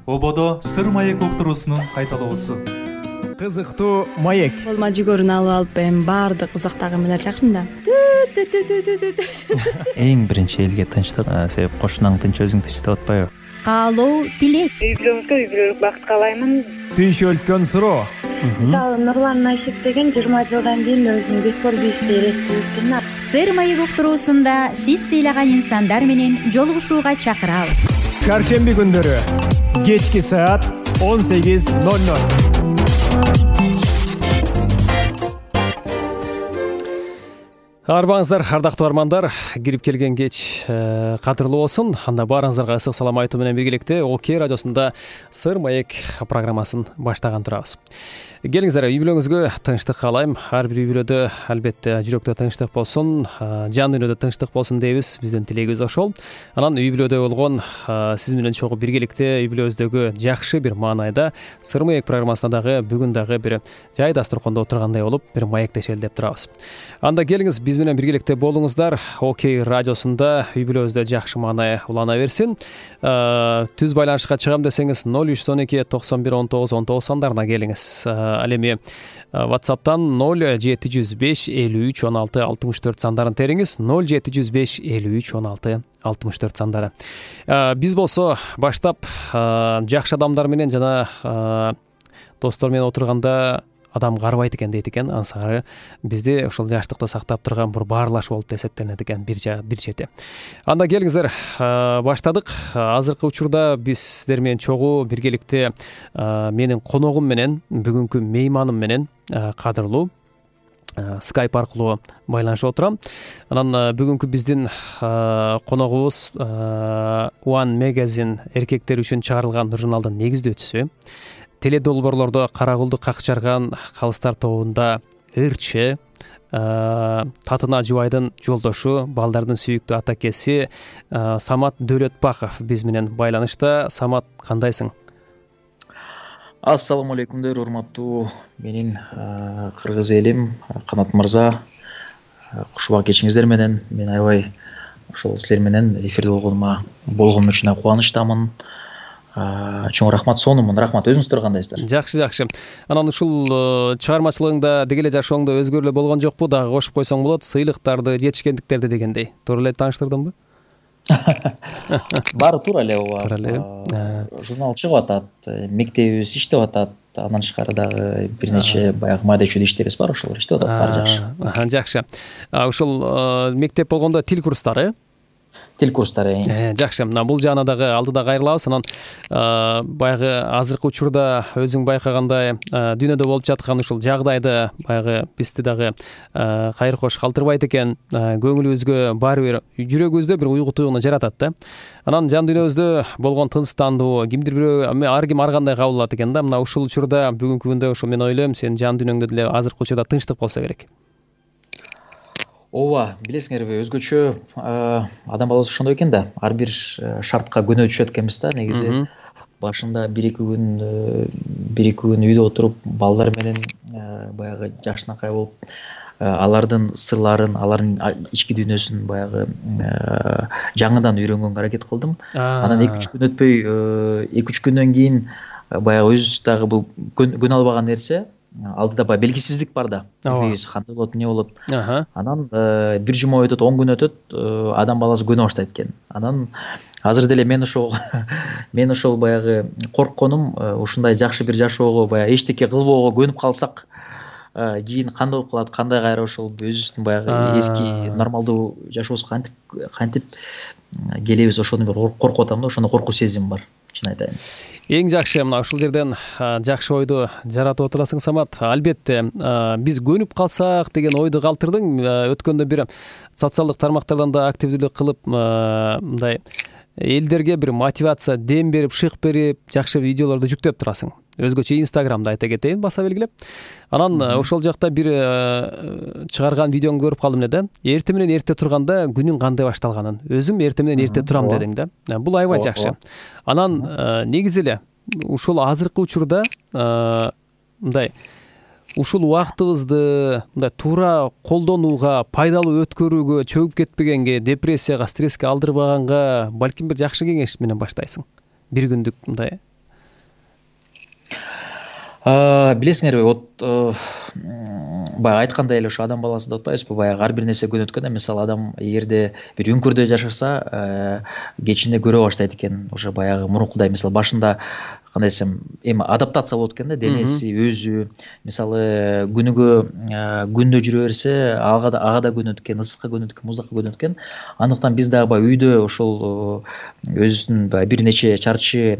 Ободо сыр маек уктуруусунун кайталоосу. Кызыктуу маек. Колума жүгөрүн алып эми баардык узактагы эмелер чакырын да. Эң биринчи элге тынчтык, себеп кошунаң тынч, өзүң тынч деп атпайбы? Каалоо, тилек. Үй бүлөңүзгө үй бүлөлүк бакыт каалаймын. Түйшөлткөн суроо. Нурлан Айшек деген 20 жылдан кийин өзүнүн бекор бийишти элестирген. Сыр маек уктуруусунда сиз сыйлаган инсандар менен жолугушууга чакырабыз. Шаршемби күндөрү кечки саат 18:00. Арбаңыздар, ардактуу армандар, кирип келген кеч кадырлуу болсун. Анда баарыңыздарга ысык салам айтуу менен биргеликте ОК радиосунда Сыр маек программасын баштаган турабыз. Келиңиздер, үй бүлөңүзгө тынчтык каалайм. Ар бир үй бүлөдө албетте жүрөктө тынчтык болсун, жан дүйнөдө тынчтык болсун дейбиз. Биздин тилегибиз ошол. Анан үй бүлөдө болгон сиз менен чогуу биргеликте үй бүлөбүздөгү жакшы бир маанайда Сыр маек программасында дагы бүгүн дагы бир жай дасторкондо отургандай болуп бир маектешели деп турабыз. Анда келиңиз, биз менен биргеликте болуңуздар. ОК радиосунда үй бүлөбүздө жакшы маанай улана берсин. Түз байланышка чыгам десеңиз 0312 91 19 19 сандарына келиңиз. Ал эми WhatsApp'тан 0705 53 16 64 сандарын териңиз. 0705 53 16 64 сандары. Биз болсо баштап жакшы адамдар менен жана достор менен отурганда адам карбайт экен дейт экен. Ансары бизде ошол жаштыкты сактап турган бир баарлаш болуп эсептелет экен бир чети. Анда келиңиздер, баштадык. Азыркы учурда биз сиздер менен чогуу биргеликте менин коногум менен, бүгүнкү мейманым менен кадырлуу Skype аркылуу байланышып отурам. Анан бүгүнкү биздин коногубуз One Magazine эркектер үчүн чыгарылган журналдын негиздөөчүсү. Теледолбоорлордо кара кулду какчарган калыстар тобунда ырчы, Татына Жубайдын жолдошу, балдардын сүйүктүү атакеси Самат Дөөлөтбаков биз менен байланышта. Самат, кандайсың? Ассаламу алейкумдер, урматтуу менин кыргыз элим, Канат мырза. Кушубак кечиңиздер менен. Мен аябай ошол силер менен эфирде болгонум үчүн кубанычтамын. Чоң рахмат, сонумун. Рахмат. Өзүңүздөр кандайсыздар? Жакшы. Анан ушул чыгармачылыгыңда деги эле жашооңдо өзгөрүү эле болгон жокпу? Дагы кошуп койсоң болот. Сыйлыктарды, жетишкендиктерди дегендей. Туура эле тааныштырдыңбы? Баары туура эле, ооба. Журнал чыгып атат, мектебибиз иштеп атат. Андан тышкары дагы бир нече баягы майда чүйдө иштерибиз бар, ошолор иштеп атат. Баары жакшы. Жакшы. Ушул мектеп болгондо тил курстары? Тил курстары. Жакшы. Бул жаана дагы алдыда кайрылабыз. Анан баягы азыркы учурда өзүң байкагандай дүйнөдө болуп жаткан ушул жагдайды баягы бизди дагы кайыр кош калтырбайт экен. Көңүлүбүзгө баары бир жүрөгүбүздө бир уйгу туюуну жаратат да. Анан жан дүйнөбүздө болгон тынчтандуу кимдир бирөө ар ким ар кандай кабыл алат экен да. Мына ушул учурда бүгүнкү күндө ошо мен ойлойм, сенин жан дүйнөңдө деле азыркы учурда тынчтык болсо керек. Ооба, билесиңерби, өзгөчө адам баласы ошондой экен да. Ар бир шартка көнө түшөт экенбиз да. Негизи башында 1-2 күн үйдө отуруп, балдар менен баягы жакшынакай болуп, алардын сырларын, алардын ички дүйнөсүн баягы жаңыдан үйрөнгөнгө аракет кылдым. Анан 2-3 күн өтпөй, 2-3 күндөн кийин баягы өзүбүз дагы бул көнө албаган нерсе, алдыда баягы белгисиздик бар да. Кандай болот, эмне болот. Анан бир жума өтөт, 10 күн өтөт, адам баласы көнө баштайт экен. Анан азыр деле мен ошол баягы коркконум, ушундай жакшы бир жашоого, баягы эчтеке кылбоого көнүп калсак, кийин кандай болуп калат, кандай кайра ошол өзүбүздүн баягы эски нормалдуу жашообузга кантип келебиз, ошону бир коркуп атам да, ошондой коркуу сезим бар. Чын айтайын. Эң жакшы, мына ушул жерден жакшы ойду жаратып отурасың, Самат. Албетте, биз көнүп калсак деген ойду калтырдың. Өткөндө бир социалдык тармактардан да активдүүлүк кылып, мындай элдерге бир мотивация, дем берип, шык берип, жакшы видеолорду жүктөп турасың. Өзгөчө Инстаграмда айта кетейин, баса белгилеп. Анан ошол жакта бир чыгарган видеоңду көрүп калдым эле да. Эртең менен эрте турганда күнүң кандай башталганын. Өзүм эртең менен эрте турам дедиң да. Бул аябай жакшы. Анан негизи эле ушул азыркы учурда мындай ушул убактыбызды мындай туура колдонууга, пайдалуу өткөрүүгө, чөгүп кетпегенге, депрессияга, стресске алдырбаганга балким бир жакшы кеңеш менен баштайсың. Бир күндүк мындай Билесиңерби, вот баягы айткандай эле ошо адам баласы деп атпайбызбы, баягы ар бир нерсе көнөткөн да. Мисалы адам эгерде бир үңкүрдө жашаса, кечинде көрө баштайт экен, уже баягы мурункудай. Мисалы башында кандай десем, эми адаптация болот экен да, денеси, өзү. Мисалы күндө жүрө берсе, ага да көнөт экен, ысыкка көнөт экен, муздакка көнөт экен. Андыктан биз дагы баягы үйдө ошол өзүбүздүн баягы бир нече чарчы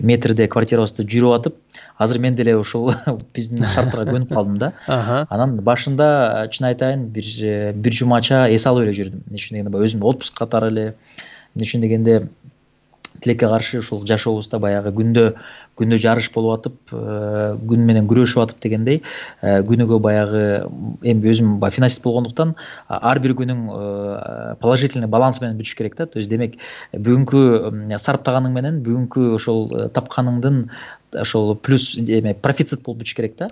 метрде квартирабызда жүрүп атып, азыр мен деле ошол биздин шарттарга көнүп калдым да. Анан башында чын айтайын, бир жумача эс алып эле жүрдүм. Эмне үчүн дегенде, өзүмдү отпуск катары эле, эмне үчүн дегенде тилекке каршы ушул жашообузда баягы күндө жарыш болуп атып, күн менен күрөшүп атып дегендей, күнүгө баягы эми өзүм баягы финансист болгондуктан ар бир күнүң положительный баланс менен бүтүш керек да. То есть демек бүгүнкү сарптаганың менен бүгүнкү ошол тапканыңдын ошол плюс профицит болуп бүтүш керек да.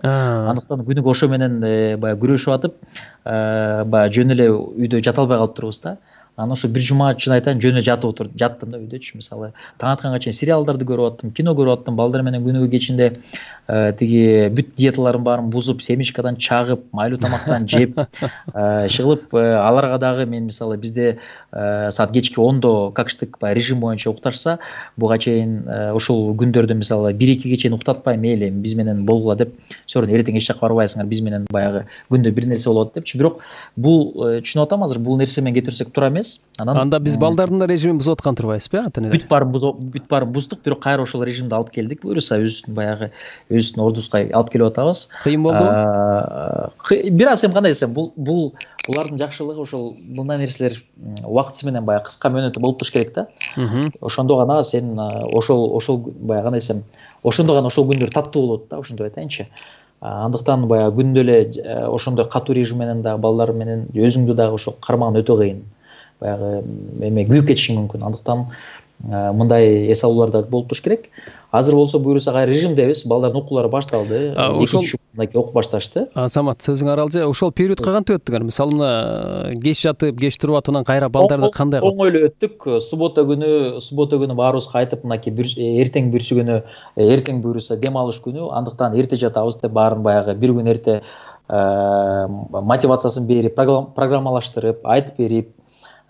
Андыктан күнүгө ошо менен баягы күрөшүп атып, баягы жөн эле үйдө жата албай калып турбуз да. Анан ошо бир жума чын айтайын жөн эле жаттым да үйдөчү. Мисалы таң атканга чейин сериалдарды көрүп аттым, кино көрүп аттым. Балдар менен күнүгө кечинде тиги бүт диеталарым баарын бузуп, семечкадан чагып, майлуу тамактан жеп, чыгылып, аларга дагы мен мисалы бизде саат кечки 10-до какштык режим боюнча укташса, буга чейин ошол күндөрдө мисалы 1-2ге чейин уктатпай, мейли биз менен болгула деп, сорун эртең эч жакка барбайсыңар, биз менен баягы күндө бир нерсе болот депчи. Бирок бул түшүнүп атам азыр, бул нерсе менен кетирсек туура эмес. Анда биз балдардын режимин бузуп аткан турбайбызбы, ата-энелер? Бүт баарын буздук, бирок кайра ошол режимди алып келдик. Буюрса өзүбүздүн баягы өзүбүздүн ордубузга алып келип атабыз. Кыйын болдубу? Бир аз эми кандай десем, булардын жакшылыгы ошол мындай нерселер убактысы менен баягы кыска мөөнөттө болуп туруш керек да. Ошондо гана сен ошол баягы кандай десем, ошондо гана ошол күндөр таттуу болот да, ошентип айтайынчы. Андыктан баягы күндө эле ошондой катуу режим менен дагы балдар менен өзүңдү дагы ошо кармаган өтө кыйын. Баягы эме күйүп кетишиң мүмкүн. Андыктан мындай эс алуулар да болуп туруш керек. Азыр болсо буюрса кайра режимдебиз, балдардын окуулары башталды. Ошол окуп башташты. Самат, сөзүңө аралжы. Ошол период кантип өттүңөр? Мисалы мына кеч жатып, кеч туруп атынан кайра балдарды кандай кылып? Оңой эле өттүк. Суббота күнү баарыбыз кайтып, мынакей эртең бүрсү күнү, эртең буюрса дем алыш күнү, андыктан эрте жатабыз деп баарын баягы бир күн эрте мотивациясын берип, программалаштырып, айтып берип,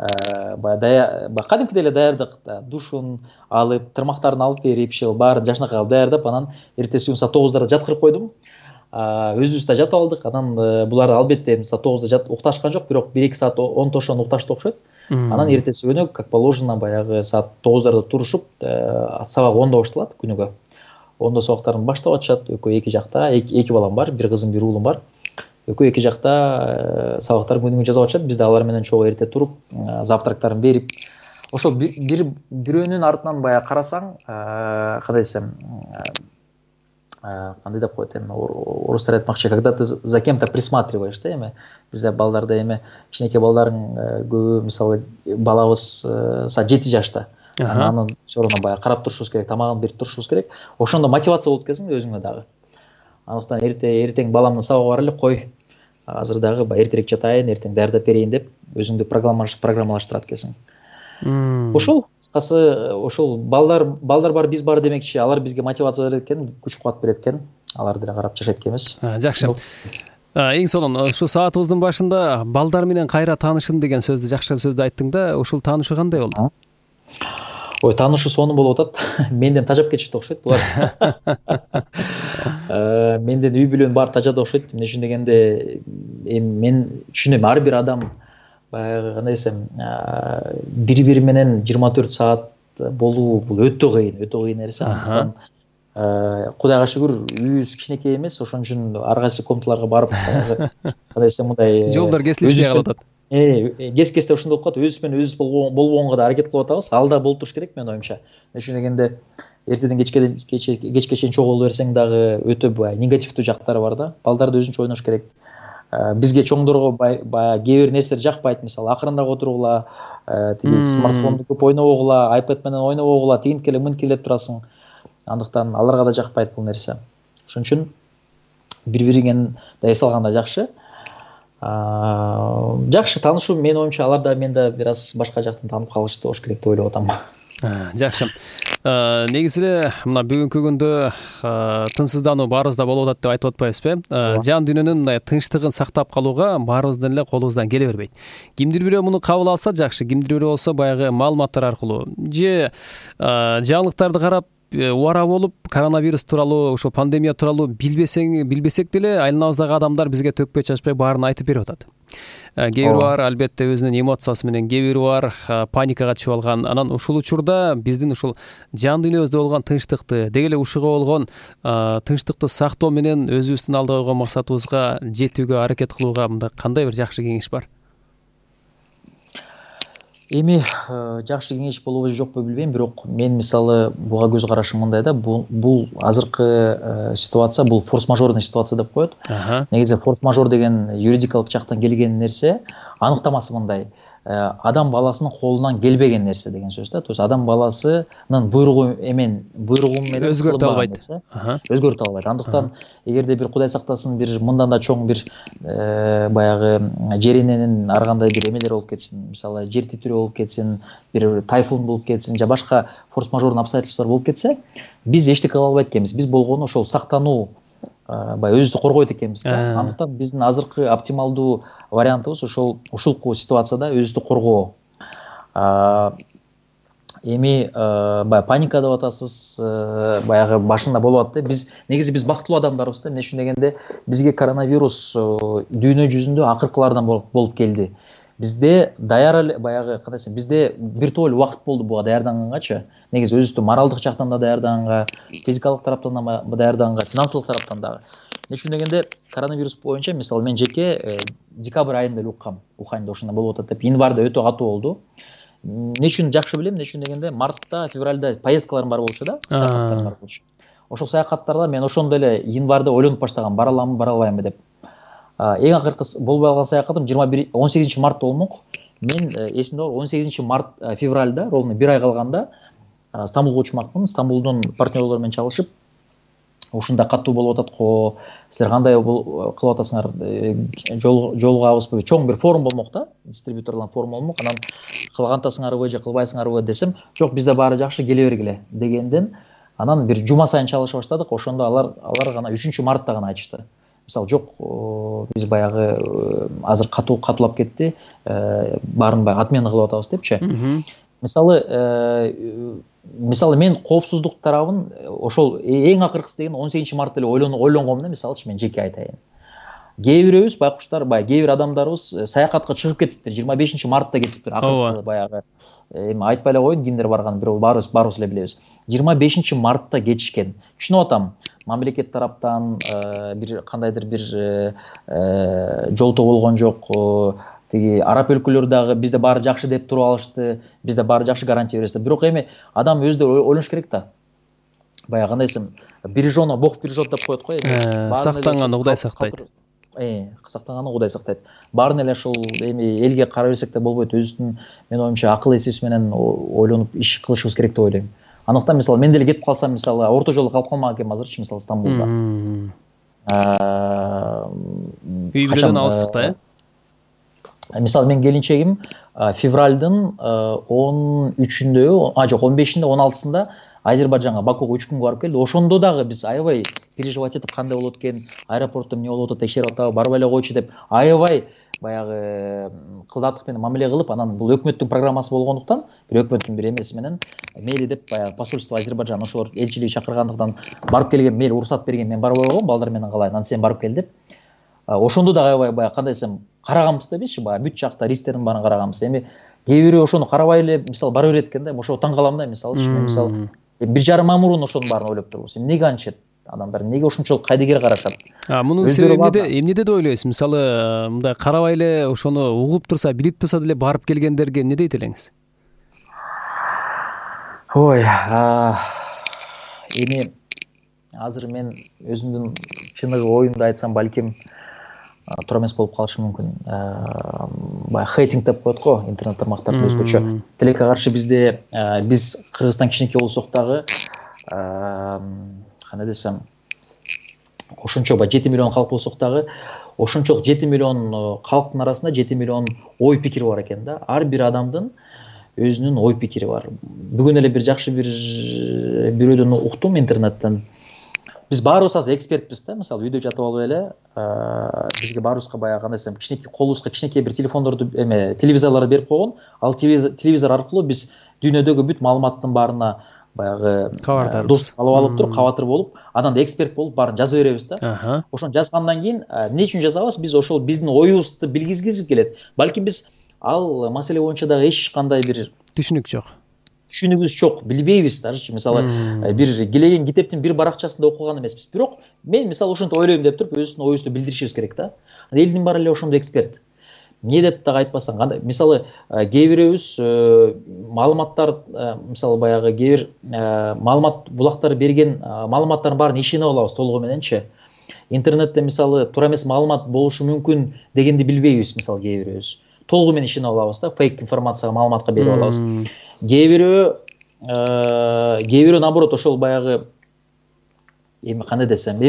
кадимкидей эле даярдык, душун алып, тырмактарын алып берип, баарын жашынакай кылып даярдап, анан эртеси күнү саат 9-да жаткырып койдум. Өзүбүз да жата алдык. Анан булар албетте саат 9-да укташкан жок, бирок 1-2 саат онтошон укташты окшойт. Анан эртеси күнү как положено баягы саат 9-дарда турушуп, сабак 10-да башталат күнүгө. 10-да сабактарын баштап атышат, экөө эки жакта, эки балам бар, бир кызым, бир уулум бар. Экөө эки жакта сабактарын күнүгө жазып атышат. Биз да алар менен чогуу эрте туруп, завтрактарын берип, ошол бирөөнүн артынан баягы карасаң, кандай десем, кандай деп коет эми, орустар айтмакчы, когда ты за кем-то присматриваешь да, эми бизде балдарда эми кичинекей балдардын көбү, мисалы балабыз саат 7 жашта. Анан сорона баягы карап турушубуз керек, тамагын берип турушубуз керек. Ошондо мотивация болот экенсиң өзүңө дагы. Андыктан эртең баламдын сабагы бар эле, кой. Азыр дагы эртерээк жатайын, эртең даярдап берейин деп өзүңдү программалаштырат экенсиң. Ошол кыскасы, ошол балдар бар, биз бар демекчи, алар бизге мотивация берет экен, күч-кубат берет экен. Алар деле карап жашайт экенбиз. Жакшы. Эң сонун ушу саатыбыздын башында балдар менен кайра таанышын деген сөздү, жакшы сөздү айттың да, ушул таанышуу кандай болду? Ой, таанышуу сонун болуп атат. Менден тажап кетишти окшойт булар. Менден үй бүлөнүн баары тажады окшойт. Эмне үчүн дегенде, эми мен түшүнөм, ар бир адам баягы кандай десем, бири-бири менен 24 саат болуу бул өтө кыйын нерсе. Кудайга шүгүр, үйүбүз кичинекей эмес, ошон үчүн ар кайсы комнаталарга барып, кандай десем, мындай жолдор кесилишпей калып атат. Кес-кесте ошондой болуп калат. Өзүбүз менен өзүбүз болбогонго да аракет кылып атабыз. Ал да болуп туруш керек менин оюмча. Эмне үчүн дегенде, эртеден кечке чейин чогуу боло берсең дагы өтө негативдүү жактары бар да. Балдарды өзүнчө ойнош керек. Бизге чоңдорго баягы кээ бир нерселер жакпайт. Мисалы, акырындап отургула, тиги смартфонду көп ойнобогула, iPad менен ойнобогула, тигинткеле мынткелеп турасың. Андыктан аларга да жакпайт бул нерсе. Ошон үчүн бири-бириңен да эс алганда жакшы. Жакшы таанышуу, менин оюмча алар да мен да бир аз башка жактан таанып калышты болуш керек деп ойлоп атам. Жакшы. Негизи эле мына бүгүнкү күндө тынчсыздануу баарыбызда болуп атат деп айтып атпайбызбы? Жан дүйнөнүн мындай тынчтыгын сактап калууга баарыбыздын эле колубуздан келе бербейт. Кимдир бирөө муну кабыл алса жакшы, кимдир бирөө болсо баягы маалыматтар аркылуу же жаңылыктарды карап убара болуп коронавирус тууралуу, ошо пандемия тууралуу билбесек деле айланабыздагы адамдар бизге төкпөй чачпай баарын айтып берип атат. Кээ бири бар албетте өзүнүн эмоциясы менен, кээ бири бар паникага түшүп алган. Анан ушул учурда биздин ушул жан дүйнөбүздө болгон тынчтыкты, деги эле ушуга болгон тынчтыкты сактоо менен өзүбүздүн алда койгон максатыбызга жетүүгө аракет кылууга мындай кандай бир жакшы кеңеш бар? Эми жакшы кеңеш болобу же жокпу билбейм, бирок мен мисалы буга көз карашым мындай да, бул азыркы ситуация, бул форс-мажорный ситуация деп коет. Негизи форс-мажор деген юридикалык жактан келген нерсе, аныктамасы мындай: адам баласынын колунан келбеген нерсе деген сөз да. То есть адам баласынын буйругу менен өзгөртө албайт. Өзгөртө албайт. Андыктан эгерде бир Кудай сактасын, бир мындан да чоң бир баягы жер эненин ар кандай бир эмелер болуп кетсин, мисалы жер титирөө болуп кетсин, бир тайфун болуп кетсин, же башка форс-мажорный обстоятельстволор болуп кетсе, биз эчтеке кыла албайт экенбиз. Биз болгону ошол сактануу, баягы өзүбүздү коргойт экенбиз да. Андыктан биздин азыркы оптималдуу вариантыбыз ушул ситуацияда өзүбүздү коргоо. Эми баягы паника деп атасыз, баягы башында болуп атты. Негизи биз бактылуу адамдарбыз да. Эмне үчүн дегенде, бизге коронавирус дүйнө жүзүндө акыркылардан болуп келди. Бизде баягы кандай десем, бизде бир топ эле убакыт болду буга даярданганчы. Негизи өзүбүздү моралдык жактан да даярданганга, физикалык тараптан да даярданганга, финансылык тараптан дагы. Эмне үчүн дегенде, коронавирус боюнча мисалы мен жеке декабрь айында эле уккам, Уханьда ошондо болуп атат деп. Январда өтө катуу болду. Эмне үчүн жакшы билем, эмне үчүн дегенде, мартта, февралда поездкаларым бар болчу да, саякаттарым бар болчу. Ошол саякаттарда мен ошондо эле январда ойлонуп баштагам, бара аламбы, бара албаймбы деп. Эң акыркы болбой калган саякатым 18 мартта болмок. Мен эсимде бар, 18 февралда, ровно бир ай калганда Стамбулга учмакмын. Стамбулдун партнерлору менен чалышып, ушунда катуу болуп атат го, силер кандай кылып атасыңар, жолугабызбы, чоң бир форум болмок да, дистрибьюторлордун форуму болмок. Анан кылгантасыңарбы же кылбайсыңарбы десем, жок, бизде баары жакшы, келе бергиле дегенден, анан бир жума сайын чалыша баштадык. Ошондо алар гана 3 мартта гана айтышты. Мисалы, жок, биз баягы азыр катуулап кетти, баарын баягы отмена кылып атабыз депчи. Мисалы мен коопсуздук тарабын ошол эң акыркысы деген 18 мартта эле ойлонгом да, мисалычы мен жеке айтайын. Кээ бирөөбүз байкуштар, кээ бир адамдарыбыз саякатка чыгып кетиптир, 25 мартта кетиптир, акыркы баягы. Эми айтпай эле коеюн кимдер барганын, бирөө баарыбыз эле билебиз. 25 мартта кетишкен. Түшүнүп атам, мамлекет тараптан бир кандайдыр бир жолтоо болгон жок. Тиги араб өлкөлөрү дагы бизде баары жакшы деп туруп алышты, бизде баары жакшы гарантия беришти. Бирок эми адам өзү ойлош керек да. Баягы кандай десем, бережено Бог бережет деп коет го. Сактанганы Кудай сактайт. Сактанганы Кудай сактайт. Баарын эле ушул эми элге карай берсек да болбойт. Өзүбүздүн, мен оюмча, акыл эсибиз менен ойлонуп иш кылышыбыз керек деп ойлойм. Андыктан мисалы мен деле кетип калсам, мисалы орто жолдо калып калмак экенмин азырчы, мисалы Стамбулда. Үй бүлөдөн алыстыкта, Мисалы мен келинчегим февралдын 13-үндө, жок, 15-inde, 16-сында Азербайжанга, Бакуга 3 күнгө барып келди. Ошондо дагы биз аябай переживать этип, кандай болот экен, аэропортто эмне болуп атат, текшерип атабы, барбай эле койчу деп аябай баягы кылдаттык менен мамиле кылып, анан бул өкмөттүн программасы болгондуктан, бир өкмөттүн бир эмеси менен мейли деп баягы посольство Азербайжан ошолор элчилиги чакыргандыктан барып келген, мейли уруксат берген, мен барбай койгом, балдар менен калайын, анан сен барып кел деп. Ошондо да аябай баягы кандай десем, караганбыз да бизчи, баягы бүт жакта рисктердин баарын караганбыз. Эми кээ бирөө ошону карабай эле мисалы бара берет экен да, ошого таң калам да, мисалычы, мисалы 1,5 ай мурун ошонун баарын ойлоп турбуз. Эмнеге антышат адамдар, эмнеге ушунчалык кайдыгер карашат? Мунун себеби эмнеде деп ойлойсуз? Мисалы мындай карабай эле ошону угуп турса, билип турса деле барып келгендерге эмне дейт элеңиз? Ой, эми азыр мен өзүмдүн чыныгы оюмду айтсам, балким туура эмес болуп калышы мүмкүн. Баягы хейтинг деп коет го, интернет тармактарда өзгөчө. Тилекке каршы биз Кыргызстан кичинекей болсок дагы, кандай десем, ошончо 7 миллион калк болсок дагы, ошончолук 7 миллион калктын арасында 7 миллион ой пикир бар экен да. Ар бир адамдын өзүнүн ой пикири бар. Бүгүн эле бир жакшы бирөөдөн уктум интернеттен. Биз баарыбыз азыр экспертпиз да. Мисалы үйдө жатып алып эле бизге баарыбызга баягы кандай десем, кичинекей колубузга кичинекей бир телефондорду телевизорлорду берип койгон. Ал телевизор аркылуу биз дүйнөдөгү бүт маалыматтын баарына баягы доступ алып туруп, кабатыр болуп, анан да эксперт болуп баарын жаза беребиз да. Ошону жазгандан кийин эмне үчүн жазабыз? Биз ошол биздин оюбузду билгизгиз келет. Балким биз ал маселе боюнча дагы эч кандай бир түшүнүгүбүз жок, билбейбиз дажычы. Мисалы бир келеген китептин бир баракчасында окуган эмеспиз. Бирок мен мисалы ошентип ойлойм деп туруп өзүбүздүн оюбузду билдиришибиз керек да. Элдин баары эле ошондой эксперт. Эмне деп дагы айтпасаң, кандай мисалы кээ бирөөбүз маалыматтар мисалы баягы кээ бир маалымат булактар берген маалыматтардын баарын ишене алабыз толугу мененчи. Интернетте мисалы туура эмес маалымат болушу мүмкүн дегенди билбейбиз мисалы кээ бирөөбүз. Толугу менен ишене алабыз да, фейк информацияга, маалыматка берип алабыз. Кээ бирөө наоборот ошол баягы кандай десем,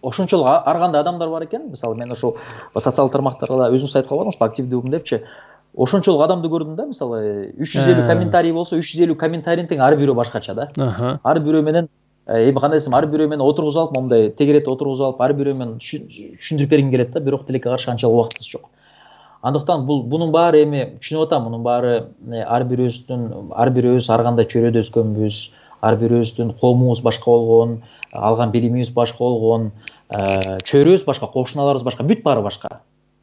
ошончолук ар кандай адамдар бар экен. Мисалы мен ошол социалдык тармактарда өзүң айтып калбадыңызбы, активдүүмүн депчи. Ошончолук адамды көрдүм да, мисалы 350 комментарий болсо, 350 комментарийдин тең ар бирөө башкача да. Ар бирөө менен кандай десем, ар бирөө менен отургузуп алып, мондай тегеретип отургузуп алып, ар бирөө менен түшүндүрүп бергим келет да, бирок тилекке каршы анчалык убактыбыз жок. Андыктан бунун баары түшүнүп атам, мунун баары ар бирөөбүз ар кандай чөйрөдө өскөнбүз, ар бирөөбүздүн коомубуз башка болгон, алган билимибиз башка болгон, чөйрөбүз башка, кошуналарыбыз башка, бүт баары башка.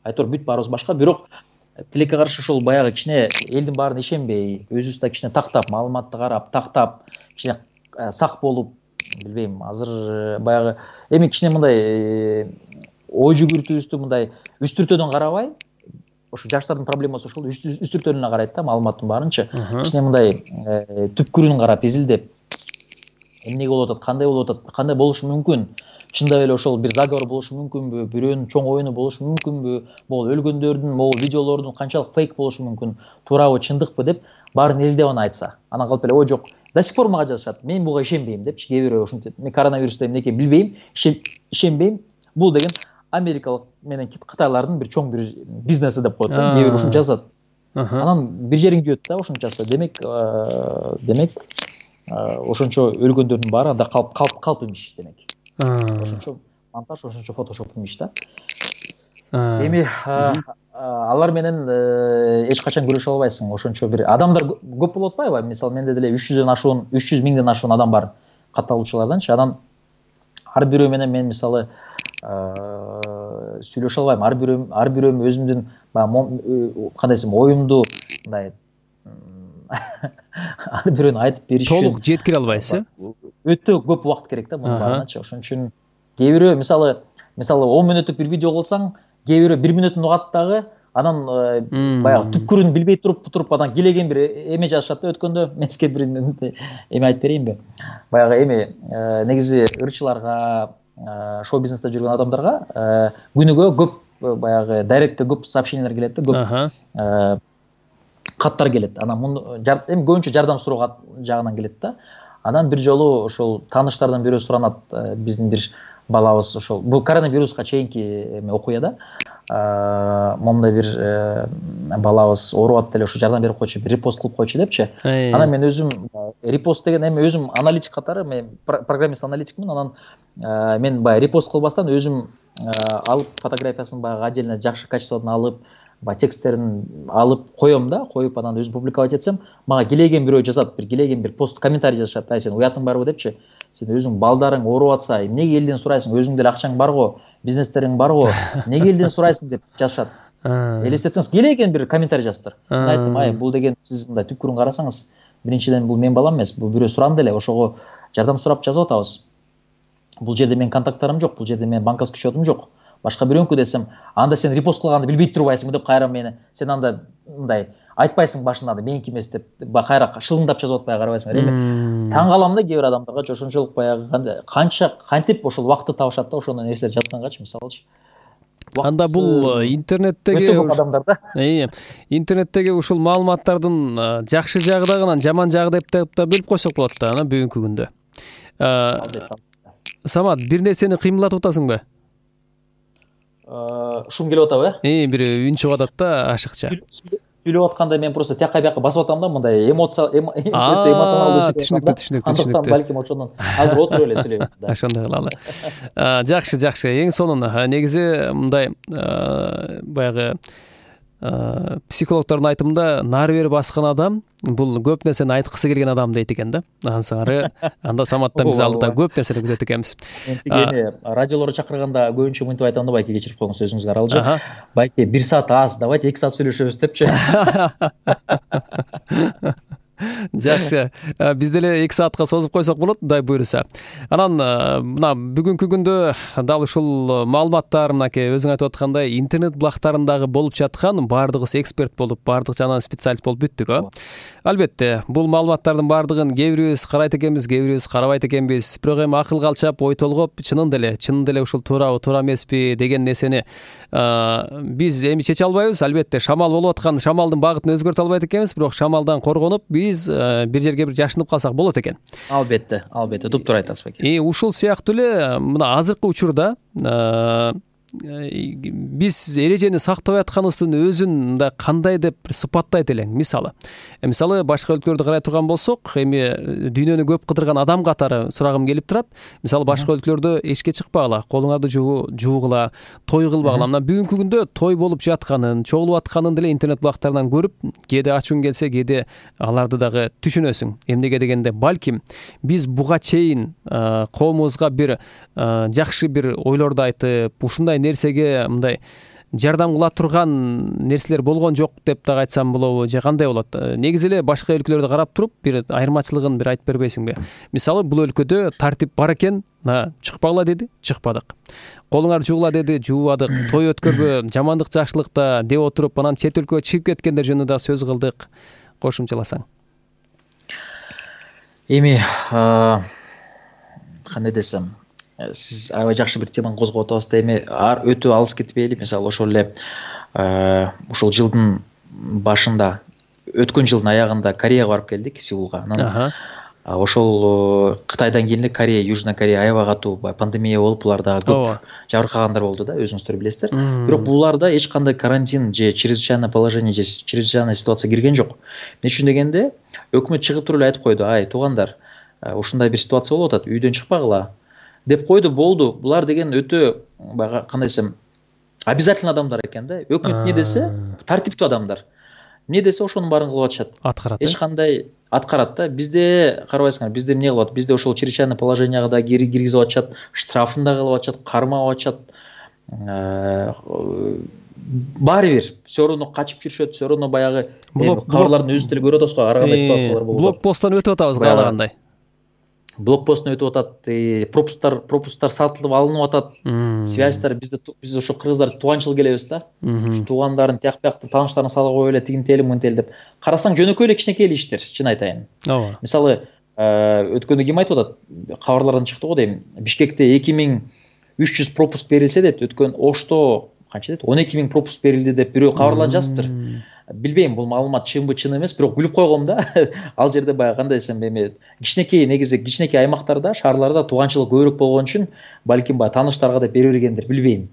Айтор бүт баарыбыз башка, бирок тилекке каршы ошол баягы кичине элдин баарына ишенбей, өзүбүз да кичине тактап, маалыматты карап, тактап, кичине сак болуп, билбейм, азыр баягы кичине мындай ой жүгүртүүбүздү мындай үстүртөдөн карабай, ошо жаштардын проблемасы ошол үстүртөнүнө карайт да, маалыматтын баарынчы. Кичине мындай түпкүрүн карап, изилдеп, эмне болуп атат, кандай болушу мүмкүн? Чындап эле ошол бир заговор болушу мүмкүнбү? Бирөөнүн чоң оюну болушу мүмкүнбү? Могул өлгөндөрдүн, могул видеолордун канчалык фейк болушу мүмкүн? Туурабы, чындыкпы деп баарын изилдеп аны айтса. Анан калып эле ой жок. До сих пор мага жазышат. Мен буга ишенбейм депчи. Кээ бирөө ошентип, мен коронавирусту эмне экенин билбейм, ишенбейм. Бул деген Америкалык менен Кытайлардын бир чоң бир бизнеси деп коет да. Кээ бирөө ушуну жазат. Анан бир жериң күйөт да, ушуну жазса. Демек ошончо өлгөндөрдүн баары анда калп имиш демек. Ошончо монтаж, ошончо фотошоп имиш да. Алар менен эч качан көрүшө албайсың. Ошончо бир адамдар көп болуп атпайбы? Мисалы менде деле 300 миңден ашуун адам бар катталуучуларданчы. Анан ар бирөө менен мен мисалы сүйлөшө албайм. Ар бирөө өзүмдүн кандай десем, оюмду мындай ар бирөөнү айтып бериш үчүн толук жеткире албайсыз. Өтө көп убакыт керек да мунун баарыначы. Ошон үчүн кээ бирөө мисалы 10 мүнөттүк бир видео кылсаң, кээ бирөө 1 мүнөтүн угат дагы, анан баягы түпкүрүн билбей туруп анан келеген бир эме жазышат да. Өткөндө мен сизге бир эме айтып берейинби? Баягы негизи ырчыларга, шоу бизнесте жүргөн адамдарга күнүгө көп баягы дайректке көп сообщениялар келет да, көп каттар келет. Анан көбүнчө жардам суроо жагынан келет да. Анан бир жолу ошол тааныштардан бирөө суранат, биздин бир балабыз ошол бул коронавируска чейинки окуяда момундай бир балабыз ооруп атты эле, ошо жардам берип койчу, бир репост кылып койчу депчи. Анан мен өзүм репост деген өзүм аналитик катары, мен программист аналитикмин. Анан мен баягы репост кылбастан өзүм алып фотографиясын баягы отдельно жакшы качестводон алып, тексттерин алып коем да, коюп анан өзүм публиковать этсем, мага келеген бирөө жазат, келеген бир пост комментарий жазышат. Сен уятың барбы депчи? Сен өзүң балдарың ооруп атса, эмнеге элден сурайсың? Өзүң деле акчаң барго, бизнестериң барго, эмнеге элден сурайсың деп жазышат. Элестетсеңиз, келеген бир комментарий жазыптыр. Мен айттым, бул деген сиз мындай түпкүрүн карасаңыз, биринчиден бул мен балам эмес, бул бирөө суранды эле, ошого жардам сурап жазып атабыз. Бул жерде менин контакттарым жок, бул жерде менин банковский счетум жок. Башка бирөөнүкү десем, анда сен репост кылганды билбей турбайсыңбы деп кайра мени, сен анда мындай айтпайсың башында да меники эмес деп кайра шылыңдап жазып атпай карабайсыңар. Эми таң калам да кээ бир адамдарга ошончолук баягы канча кантип ошол убакытты табышат да ошондой нерселер жазгангачы, мисалычы. Анда бул интернеттеги адамдарда. Интернеттеги ушул маалыматтардын жакшы жагы дагы, анан жаман жагы деп да бөлүп койсок болот да, анан бүгүнкү күндө. Самат, бир нерсени кыймылдатып атасыңбы? Шум келип атабы? Бир үн чыгып атат да ашыкча. сүйлөп атканда мен просто тияка бияка басып атам да, мындай эмоционалдуу түшүнүктүү. Андыктан балким ошондон азыр отуруп эле сүйлөйм да. Ошондой кылалы. Жакшы. Эң сонун негизи мындай баягы психологдордун айтымында нары бери баскан адам бул көп нерсени айткысы келген адам дейт экен да. Ансары анда Саматтан биз алдыда көп нерсени күтөт экенбиз. Эми радиолорго чакырганда көбүнчө мынтип айтам да, байке кечирип коюңуз өзүңүзгө аралжы. Байке 1 саат аз, давайте 2 саат сүйлөшөбүз депчи. Жакшы. Биз деле 2 саатка созуп койсок болот, Кудай буйруса. Анан мына бүгүнкү күндө дал ушул маалыматтар, мынакей өзүң айтып аткандай интернет булактарындагы болуп жаткан баардыгыбыз эксперт болуп, баардык жагынан специалист болуп бүттүк. Албетте, бул маалыматтардын баардыгын кээ бирибиз карайт экенбиз, кээ бирибиз карабайт экенбиз. Бирок эми акылга алчап, ой толгоп, чынын деле ушул туурабы, туура эмеспи деген нерсени биз эми чече албайбыз. Албетте, шамал болуп аткан шамалдын багытын өзгөртө албайт экенбиз, бирок шамалдан коргонуп биз бир жерге бир жашынып калсак болот экен. Албетте, туптуура айтасыз байке. Ушул сыяктуу эле мына азыркы учурда биз эрежени сактабай атканыбыздын өзүн мындай кандай деп сыпаттайт элең. Мисалы башка өлкөлөрдү карай турган болсок, эми дүйнөнү көп кыдырган адам катары сурагым келип турат. Мисалы башка өлкөлөрдө эчке чыкпагыла, колуңарды жуугула, той кылбагыла. Мына бүгүнкү күндө той болуп жатканын, чогулуп атканын деле интернет булактарынан көрүп, кээде ачууң келсе, кээде аларды дагы түшүнөсүң. Эмнеге дегенде, балким биз буга чейин коомубузга бир жакшы бир ойлорду айтып, ушундай нерсеге мындай жардам кыла турган нерселер болгон жок деп дагы айтсам болобу, же кандай болот? Негизи эле башка өлкөлөрдү карап туруп, бир айырмачылыгын бир айтып бербейсиңби? Мисалы, бул өлкөдө тартип бар экен, чыкпагыла деди, чыкпадык. Колуңар жуугула деди, жуубадык. Той өткөрбө, жамандык жакшылыкта деп отуруп, анан чет өлкөгө чыгып кеткендер жөнүндө да сөз кылдык. Кошумчаласаң. Эми кандай десем, сиз аябай жакшы бир теманы козгоп атабыз да. Эми өтө алыс кетпейли. Мисалы ошол эле ушул жылдын башында, өткөн жылдын аягында Кореяга барып келдик, Сеулга. Анан ошол Кытайдан кийин эле Корея, Южный Корея аябай катуу пандемия болуп, буларда көп жабыркагандар болду да, өзүңүздөр билесиздер. Бирок буларда эч кандай карантин же чрезвычайное положение же чрезвычайная ситуация кирген жок. Эмне үчүн дегенде, өкмөт чыгып туруп эле айтып койду: "Ай, туугандар, ушундай бир ситуация болуп атат, үйдөн чыкпагыла" деп койду, болду. Булар деген өтө кандай десем, обязательно адамдар экен да. Өкмөт эмне десе, тартиптүү адамдар. Эмне десе, ошонун баарын кылып атышат. Аткарат. Эч кандай аткарат да. Бизде карабайсыңар, бизде эмне кылып атат? Бизде ошол чрезвычайное положенияга да киргизип атышат, штрафын да кылып атышат, кармап атышат. Баары бир все равно качып жүрүшөт, все равно баягы кабарлардын өзүн деле көрүп атабыз го, ар кандай ситуациялар болуп атат. Блокпосттон өтүп атабыз каалагандай. Блокпосттон өтүп атат, пропусктар сатылып алынып атат, связьтар биз ошо кыргыздар туганчыл келебиз да. Туугандарын тияк биякты тааныштарын салып коюп эле тигинтели мынтели деп. Карасаң жөнөкөй эле кичинекей иштер, чын айтайын. Мисалы, өткөндө ким айтып атат? Кабарлардан чыкты го дейм. Бишкекте 2300 пропуск берилсе дейт, өткөн Ошто канча дейт? 12000 пропуск берилди деп бирөө кабарлар жазыптыр. Билбейм, бул маалымат чынбы, чын эмес, бирок күлүп койгом да. Ал жерде баягы кандай десем, эми кичинекей, негизи кичинекей аймактарда, шаарларда туганчылык көбүрөөк болгон үчүн балким баягы тааныштарга деп бере бергендир, билбейм.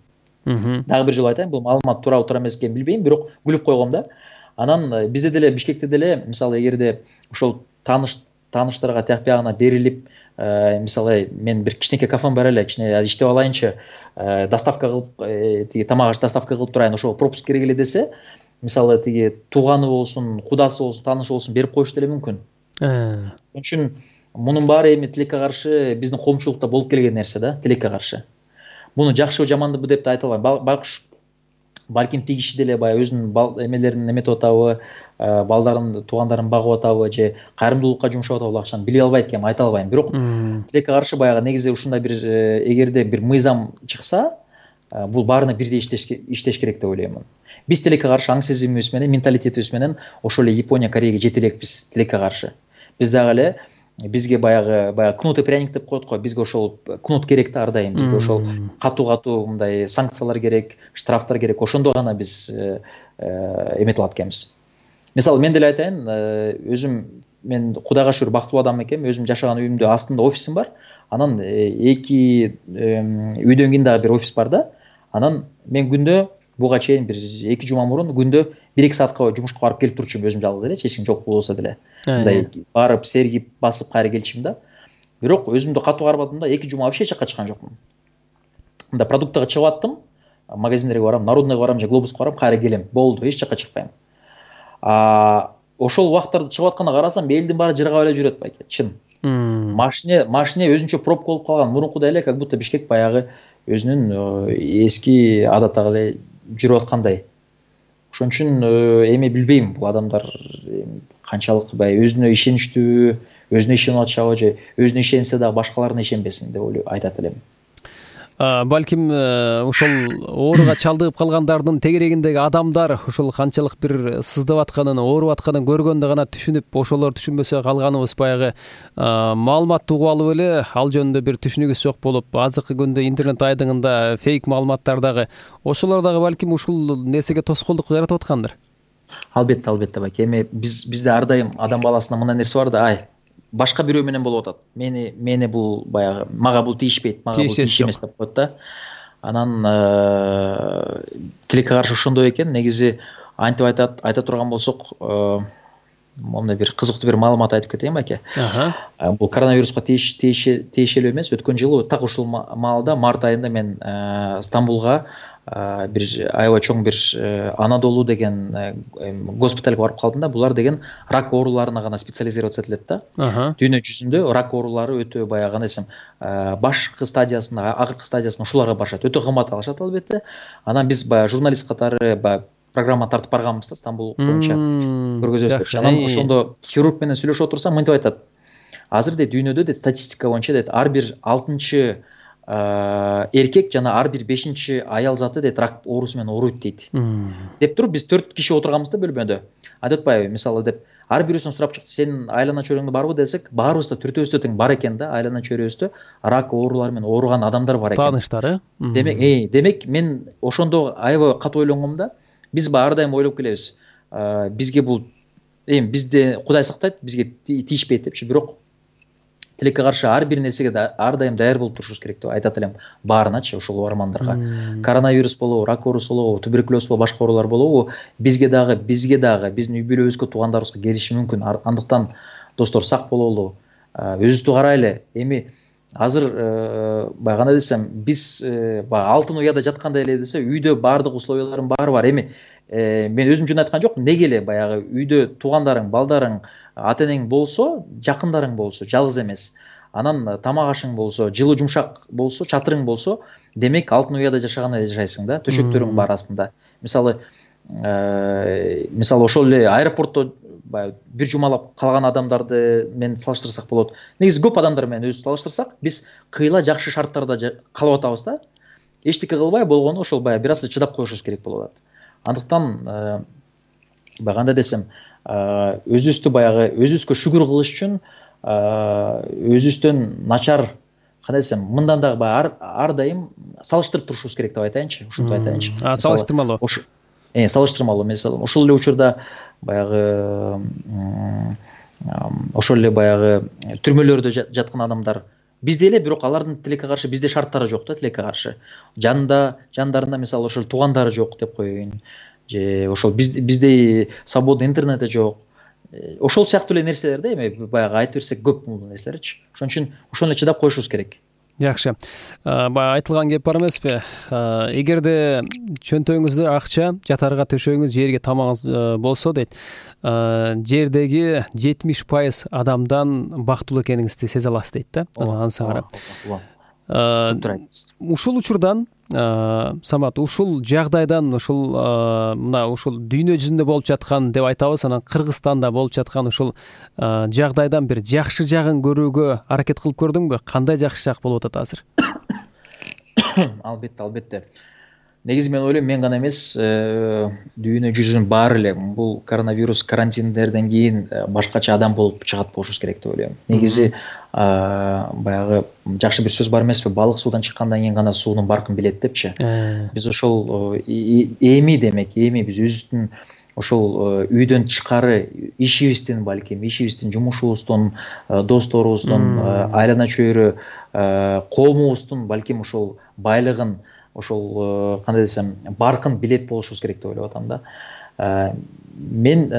Дагы бир жолу айтайын, бул маалымат туурабы туура эмес экенин билбейм, бирок күлүп койгом да. Анан бизде деле, Бишкекте деле, мисалы, эгерде ошол тааныштарга тияк биягына берилип, мисалы, мен бир кичинекей кафем бар эле, кичине иштеп алайынчы, доставка кылып, тиги тамак доставка кылып турайын, ошого пропуск керек эле десе, мисалы, тиги тууганы болсун, кудасы болсун, таанышы болсун, берип коюш деле мүмкүн. Ошон үчүн мунун баары эми тилекке каршы биздин коомчулукта болуп келген нерсе да, тилекке каршы. Муну жакшыбы, жамандыбы деп да айта албайм. Байкуш балким тиги киши деле баягы өзүнүн эмелерин эметип атабы, балдарын, туугандарын багып атабы, же кайрымдуулукка жумшап атабы акчаны биле албайт экенмин, айта албайм. Бирок тилекке каршы баягы негизи ушундай бир, эгерде бир мыйзам чыкса, бул баарына бирдей иштеш керек деп ойлоймун. Биз тилекке каршы аң сезимибиз менен, менталитетибиз менен ошол эле Япония, Кореяга жете элекпиз тилекке каршы. Биз дагы эле бизге баягы кнут и пряник деп коет го, бизге ошол кнут керек да ар дайым, бизге ошол катуу мындай санкциялар керек, штрафтар керек, ошондо гана биз эметип алат экенбиз. Мисалы, мен деле айтайын, мен Кудайга шүгүр бактылуу адам экенмин, өзүм жашаган үйүмдө астында офисим бар, анан эки үйдөн кийин дагы бир офис бар да, анан мен күндө буга чейин бир 2 жума мурун күндө 1-2 саатка жумушка барып келип турчумун өзүм жалгыз эле, эч ким жок болсо деле. Мындай барып сергип басып кайра келчүмүн да. Бирок өзүмдү катуу кармадым да, 2 жума вообще эч жакка чыккан жокмун. Мында продуктага чыгып аттым, магазиндерге барам, Народныйга барам же Глобуска барам, кайра келем. Болду, эч жакка чыкпайм. Ошол убакыттарда чыгып атканда карасам, элдин баары жыргап эле жүрөт байке, чын. Машине өзүнчө пробка болуп калган. Мурункудай эле как будто Бишкек баягы өзүнүн эски адаттагы эле жүрүп аткандай. Ошон үчүн эми билбейм, бул адамдар канчалык баягы өзүнө ишеничтүү, өзүнө ишенип атышабы же өзүнө ишенсе дагы башкаларына ишенбесин деп айтат элем. Балким ошол ооруга чалдыгып калгандардын тегерегиндеги адамдар ошол канчалык бир сыздап атканын, ооруп атканын көргөндө гана түшүнүп, ошолор түшүнбөсө калганыбыз баягы маалыматты угуп алып эле ал жөнүндө бир түшүнүгүбүз жок болуп, азыркы күндө интернет айдыңында фейк маалыматтар дагы, ошолор дагы балким ушул нерсеге тоскоолдук жаратып аткандыр. Албетте байке. Эми бизде ар дайым адам баласында мындай нерсе бар да, башка бирөө менен болуп атат. Мени бул баягы мага бул тийишпейт, мага бул тийишемес деп коет да. Анан тилекке каршы ошондой экен. Негизи антип айта турган болсок, момундай бир кызыктуу бир маалымат айтып кетейин байке. Бул коронавируска тиешелүү эмес. Өткөн жылы так ушул маалда март айында мен Стамбулга бир аябай чоң бир Анадолу деген госпитальга барып калдым да. Булар деген рак ооруларына гана специализироваться этилет да. Дүйнө жүзүндө рак оорулары өтө баягы десем, башкы стадиясында, акыркы стадиясында ушуларга барышат. Өтө кымбат алышат албетте. Анан биз баягы журналист катары программа тартып барганбыз да, Стамбул боюнча көргөзөбүз. Анан ошондо хирург менен сүйлөшүп отурсам, мынтип айтат. Азыр дейт дүйнөдө дейт статистика боюнча дейт ар бир 6-чы эркек жана ар бир 5-чи аял заты дейт рак оорусу менен ооруйт дейт. Деп туруп биз 4 киши отурганбыз да бөлмөдө. Айтып атпайбы, мисалы деп ар бирөөсүн сурап чыкты, сенин айлана чөйрөңдө барбы десек, баарыбыз да төртөөбүздө тең бар экен да, айлана чөйрөбүздө рак оорулары менен ооруган адамдар бар экен. Тааныштар, Демек мен ошондо аябай катуу ойлонгом да. Биз ар дайым ойлоп келебиз. Бизге бул бизде Кудай сактайт, бизге тийишпейт депчи, бирок тилекке каршы ар бир нерсеге ар дайым даяр болуп турушубуз керек деп айтат элем баарыначы, ошол угармандарга. Коронавирус болобу, рак оорусу болобу, туберкулез болобу, башка оорулар болобу, бизге дагы биздин үй бүлөбүзгө, туугандарыбызга келиши мүмкүн. Андыктан достор сак бололу, өзүбүздү карайлы. Эми азыр кандай десем, биз алтын уяда жаткандай эле десе, үйдө баардык условиялардын баары бар. Эми мен өзүм үчүн айткан жокмун. Неге эле баягы үйдө туугандарың, балдарың, ата-энең болсо, жакындарың болсо, жалгыз эмес. Анан тамак ашың болсо, жылуу жумшак болсо, чатырың болсо, демек алтын уяда жашагандай жашайсың да, төшөктөрүң бар астында. Мисалы ошол эле аэропортто бир жумалап калган адамдарды менен салыштырсак болот. Негизи көп адамдар менен өзүбүздү салыштырсак, биз кыйла жакшы шарттарда калып атабыз да. Эчтеке кылбай болгону ошол бир аз чыдап коюшубуз керек болуп атат. Андыктан кандай десем, өзүбүзгө шүгүр кылыш үчүн өзүбүздөн начар, кандай десем, мындан дагы ар дайым салыштырып турушубуз керек деп айтайынчы, ушинтип айтайынчы. Салыштырмалуу. Салыштырмалуу. Мисалы, ошол эле учурда баягы ошол эле баягы түрмөлөрдө жаткан адамдар бизде эле, бирок алардын тилекке каршы бизде шарттары жок да, тилекке каршы. Жандарында мисалы ошол туугандары жок деп коеюн. Же ошол бизде свободный интернет жок. Ошол сыяктуу эле нерселер да, эми баягы айтып берсек көп бул нерселерчи. Ошон үчүн ошону эле чыдап коюшубуз керек. Жакшы. Баягы айтылган кеп бар эмеспи? Эгерде чөнтөгүңүздө акча, жатарга төшөгүңүз, жерге тамагыңыз болсо дейт, жердеги 70% адамдан бактылуу экениңизди сезе аласыз дейт да. Анысына карап. Ушул учурдан Самат, ушул жагдайдан ушул дүйнө жүзүндө болуп жаткан деп айтабыз, анан Кыргызстанда болуп жаткан ушул жагдайдан бир жакшы жагын көрүүгө аракет кылып көрдүңбү? Кандай жакшы жак болуп атат азыр? Албетте. Негизи мен ойлойм, мен гана эмес, дүйнө жүзүнүн баары эле бул коронавирус карантиндерден кийин башкача адам болуп чыгат болушубуз керек деп ойлойм. Негизи баягы жакшы бир сөз бар эмеспи? Балык суудан чыккандан кийин гана суунун баркын билет депчи. Биз ошол эми биз өзүбүздүн ошол үйдөн тышкары ишибиздин, жумушубуздун, досторубуздун, айлана чөйрө, коомубуздун балким ошол байлыгын ошол кандай десем баркын билет болушубуз керек деп ойлоп атам да. Мен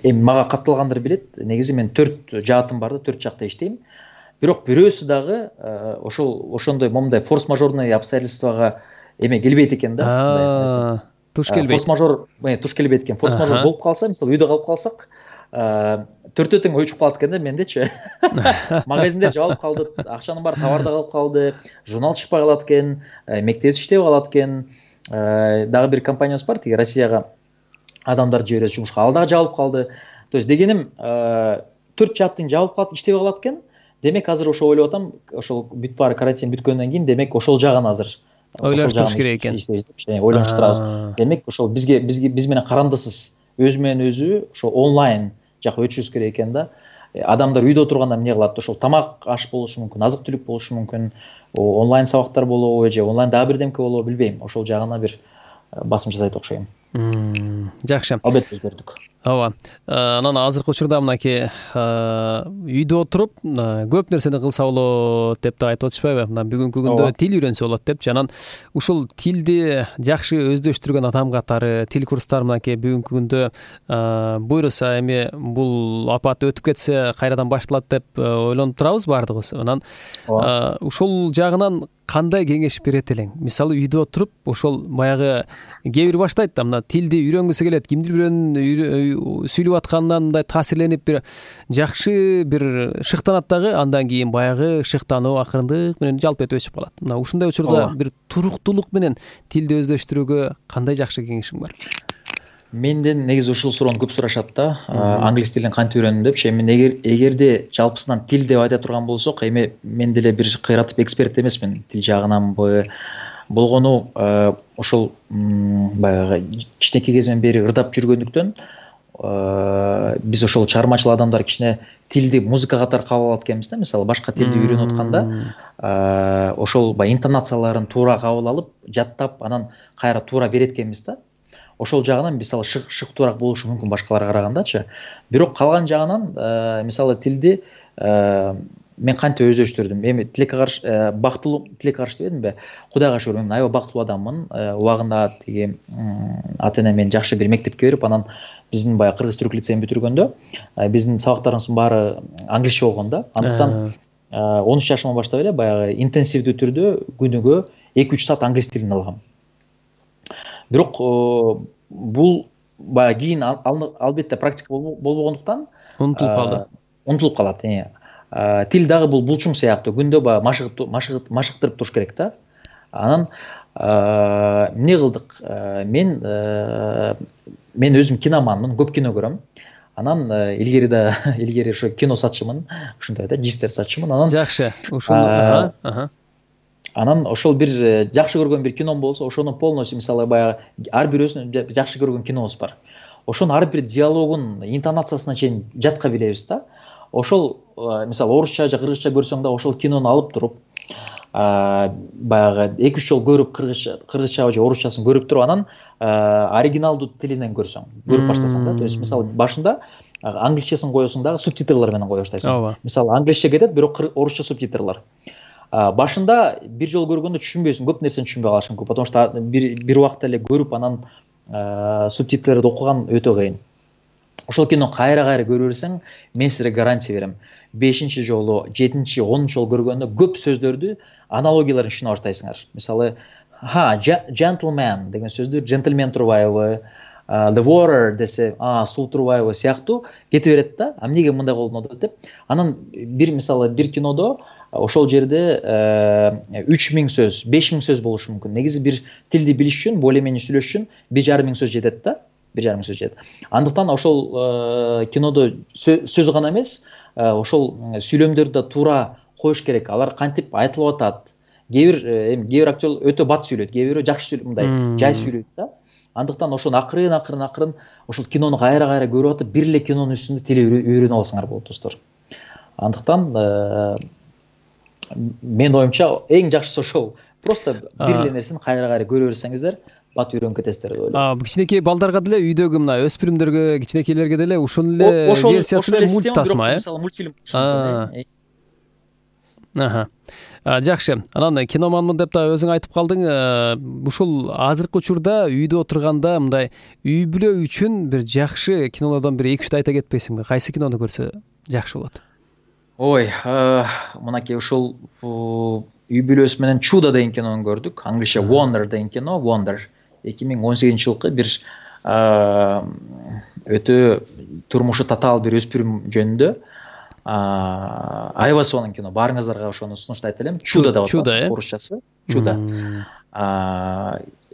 эми мага катталгандар билет, негизи мен 4 жаатым бар да, 4 жакта иштейм. Бирок бирөөсү дагы ошондой момундай форс-мажорный обстоятельствага келбейт экен да. Туш келбейт. Форс-мажор туш келбейт экен. Форс-мажор болуп калса, мисалы үйдө калып калсак, 4 тең өчүп калат экен да мендечи. Магазиндер жабылып калды, акчанын баары товарда калып калды, журнал чыкпай калат экен, мектеп иштебей калат экен. Дагы бир компаниябыз бар, тиги Россияга адамдар жиберебиз жумушка, ал дагы жабылып калды. То есть дегеним 4 жааттын жабылып калып иштебей калат экен. Демек азыр ошо ойлоп атам, ошол бүт баары карантин бүткөндөн кийин демек ошол жагын азыр ойлонуш керек экен. Ойлонуп турабыз. Демек ошол биз менен карандысыз, өзү менен өзү ошо онлайн жакка өтүшүбүз керек экен да. Адамдар үйдө отурганда эмне кылат? Ошол тамак аш болушу мүмкүн, азык түлүк болушу мүмкүн, онлайн сабактар болобу же онлайн дагы бирдемке болобу билбейм. Ошол жагына бир басым жасайт окшойм. Жакшы. Албетте өзгөрдүк. Ооба. Анан азыркы учурда мынакей үйдө отуруп көп нерсени кылса болот деп да айтып атышпайбы? Мына бүгүнкү күндө тил үйрөнсө болот депчи. Анан ушул тилди жакшы өздөштүргөн адам катары тил курстары мынакей бүгүнкү күндө буйруса эми бул апат өтүп кетсе кайрадан башталат деп ойлонуп турабыз баардыгыбыз. Анан ушул жагынан кандай кеңеш берет элең? Мисалы үйдө отуруп ошол баягы кээ бир баштайт да, мына тилди үйрөнгүсү келет, кимдир бирөөнүн сүйлөп атканынан мындай таасирленип бир жакшы бир шыктанат дагы, андан кийин баягы шыктануу акырындык менен жалп этип өчүп калат. Мына ушундай учурда бир туруктуулук менен тилди өздөштүрүүгө кандай жакшы кеңешиң бар? Менден негизи ушул суроону көп сурашат да, англис тилин кантип үйрөндүм депчи. Эми эгерде жалпысынан тил деп айта турган болсок, эми мен деле бир кыйратып эксперт эмесмин тил жагынанбы. Болгону ошол баягы кичинекей кезимден бери ырдап жүргөндүктөн биз ошол чыгармачыл адамдар кичине тилди музыка катары кабыл алат экенбиз да. Мисалы башка тилди үйрөнүп атканда ошол баягы интонацияларын туура кабыл алып, жаттап, анан кайра туура берет экенбиз да. Ошол жагынан мисалы шыктуураак болушу мүмкүн башкаларга карагандачы. Бирок калган жагынан мисалы тилди мен кантип өздөштүрдүм? Эми тилекке каршы бактылуу, тилекке каршы дебедимби? Кудайга шүгүр, мен аябай бактылуу адаммын. Убагында тиги ата-энем мени жакшы бир мектепке берип, анан биздин баягы кыргыз түрк лицейин бүтүргөндө биздин сабактарыбыздын баары англисче болгон да. Андыктан 13 жашымдан баштап эле баягы интенсивдүү түрдө күнүгө 2-3 саат англис тилин алгам. Бирок бул баягы кийин албетте практика болбогондуктан унутулуп калат. Тил дагы бул булчуң сыяктуу, күндө баягы машыктырып туруш керек да. Анан эмне кылдык? Мен өзүм киноманмын, көп кино көрөм. Анан илгери ошо кино сатчымын, ушундай да, жистер сатчымын. Анан жакшы. Ушуну анан ошол бир жакшы көргөн бир кином болсо, ошону полностью мисалы баягы ар бирөөсүнүн жакшы көргөн кинобуз бар. Ошонун ар бир диалогун, интонациясына чейин жатка билебиз да. Ошол мисалы орусча же кыргызча көрсөң да ошол кинону алып туруп баягы 2-3 жолу көрүп кыргызча же орусчасын көрүп туруп анан оригиналдуу тилинен көрсөң, көрүп баштасаң да. То есть мисалы башында англисчесин коесуң дагы субтитрлар менен кое баштайсың. Мисалы англисче кетет, бирок орусча субтитрлар. Башында бир жолу көргөндө түшүнбөйсүң, көп нерсени түшүнбөй калышың көп, потому что бир убакта эле көрүп анан субтитрди окуган өтө кыйын. Ошол кино кайра көрө берсең, мен силерге гарантия берем. 5-чи жолу, 7-чи, 10-чу жолу көргөндө көп сөздөрдү, аналогияларын түшүнө баштайсыңар. Мисалы, gentleman деген сөздү gentleman турбайбы, the water десе, суу турбайбы сыяктуу кете берет да. Эмнеге мындай болду деп. Анан мисалы бир кинодо ошол жерде 3000 сөз, 5000 сөз болушу мүмкүн. Негизи бир тилди билиш үчүн, более-менее сүйлөш үчүн 1500 сөз жетет да. 1500 сөз жетет. Андыктан ошол кинодо сөз гана эмес, ошол сүйлөмдөрдү туура коюш керек. Алар кантип айтылып атат. Кээ бир актер өтө бат сүйлөйт, кээ бирөө жакшы сүйлөйт, мындай жай сүйлөйт да. Андыктан ошону акырын ошол кинону кайра көрүп атып, бир эле кинонун үстүндө тил үйрөнүп алсаңар болот, достор. Андыктан мен оюмча эң жакшысы ошол. Просто бир эле нерсени кайра көрө берсеңиздер, бат үйрөнүп кетесиздер деп ойлойм. Кичинекей балдарга деле, үйдөгү мына өспүрүмдөргө, кичинекейлерге деле ушул эле версиясы менен мульт тасма, мисалы мультфильм. Жакшы. Анан киноманмын деп да өзүң айтып калдың. Ушул азыркы учурда үйдө отурганда мындай үй бүлө үчүн бир жакшы кинолордон бир 2-3 айта кетпейсиңби? Кайсы кинону көрсө жакшы болот? Ой, мынакей ушул үй бүлөсү менен Чудо деген кинону көрдүк. Англисче Wonder деген кино, Wonder. 2018-жылкы бир өтө турмушу татаал бир өспүрүм жөнүндө Айвасонун кино. Баарыңыздарга ошону сунуштайт элем. Чудо деп аталат орусчасы. Чудо.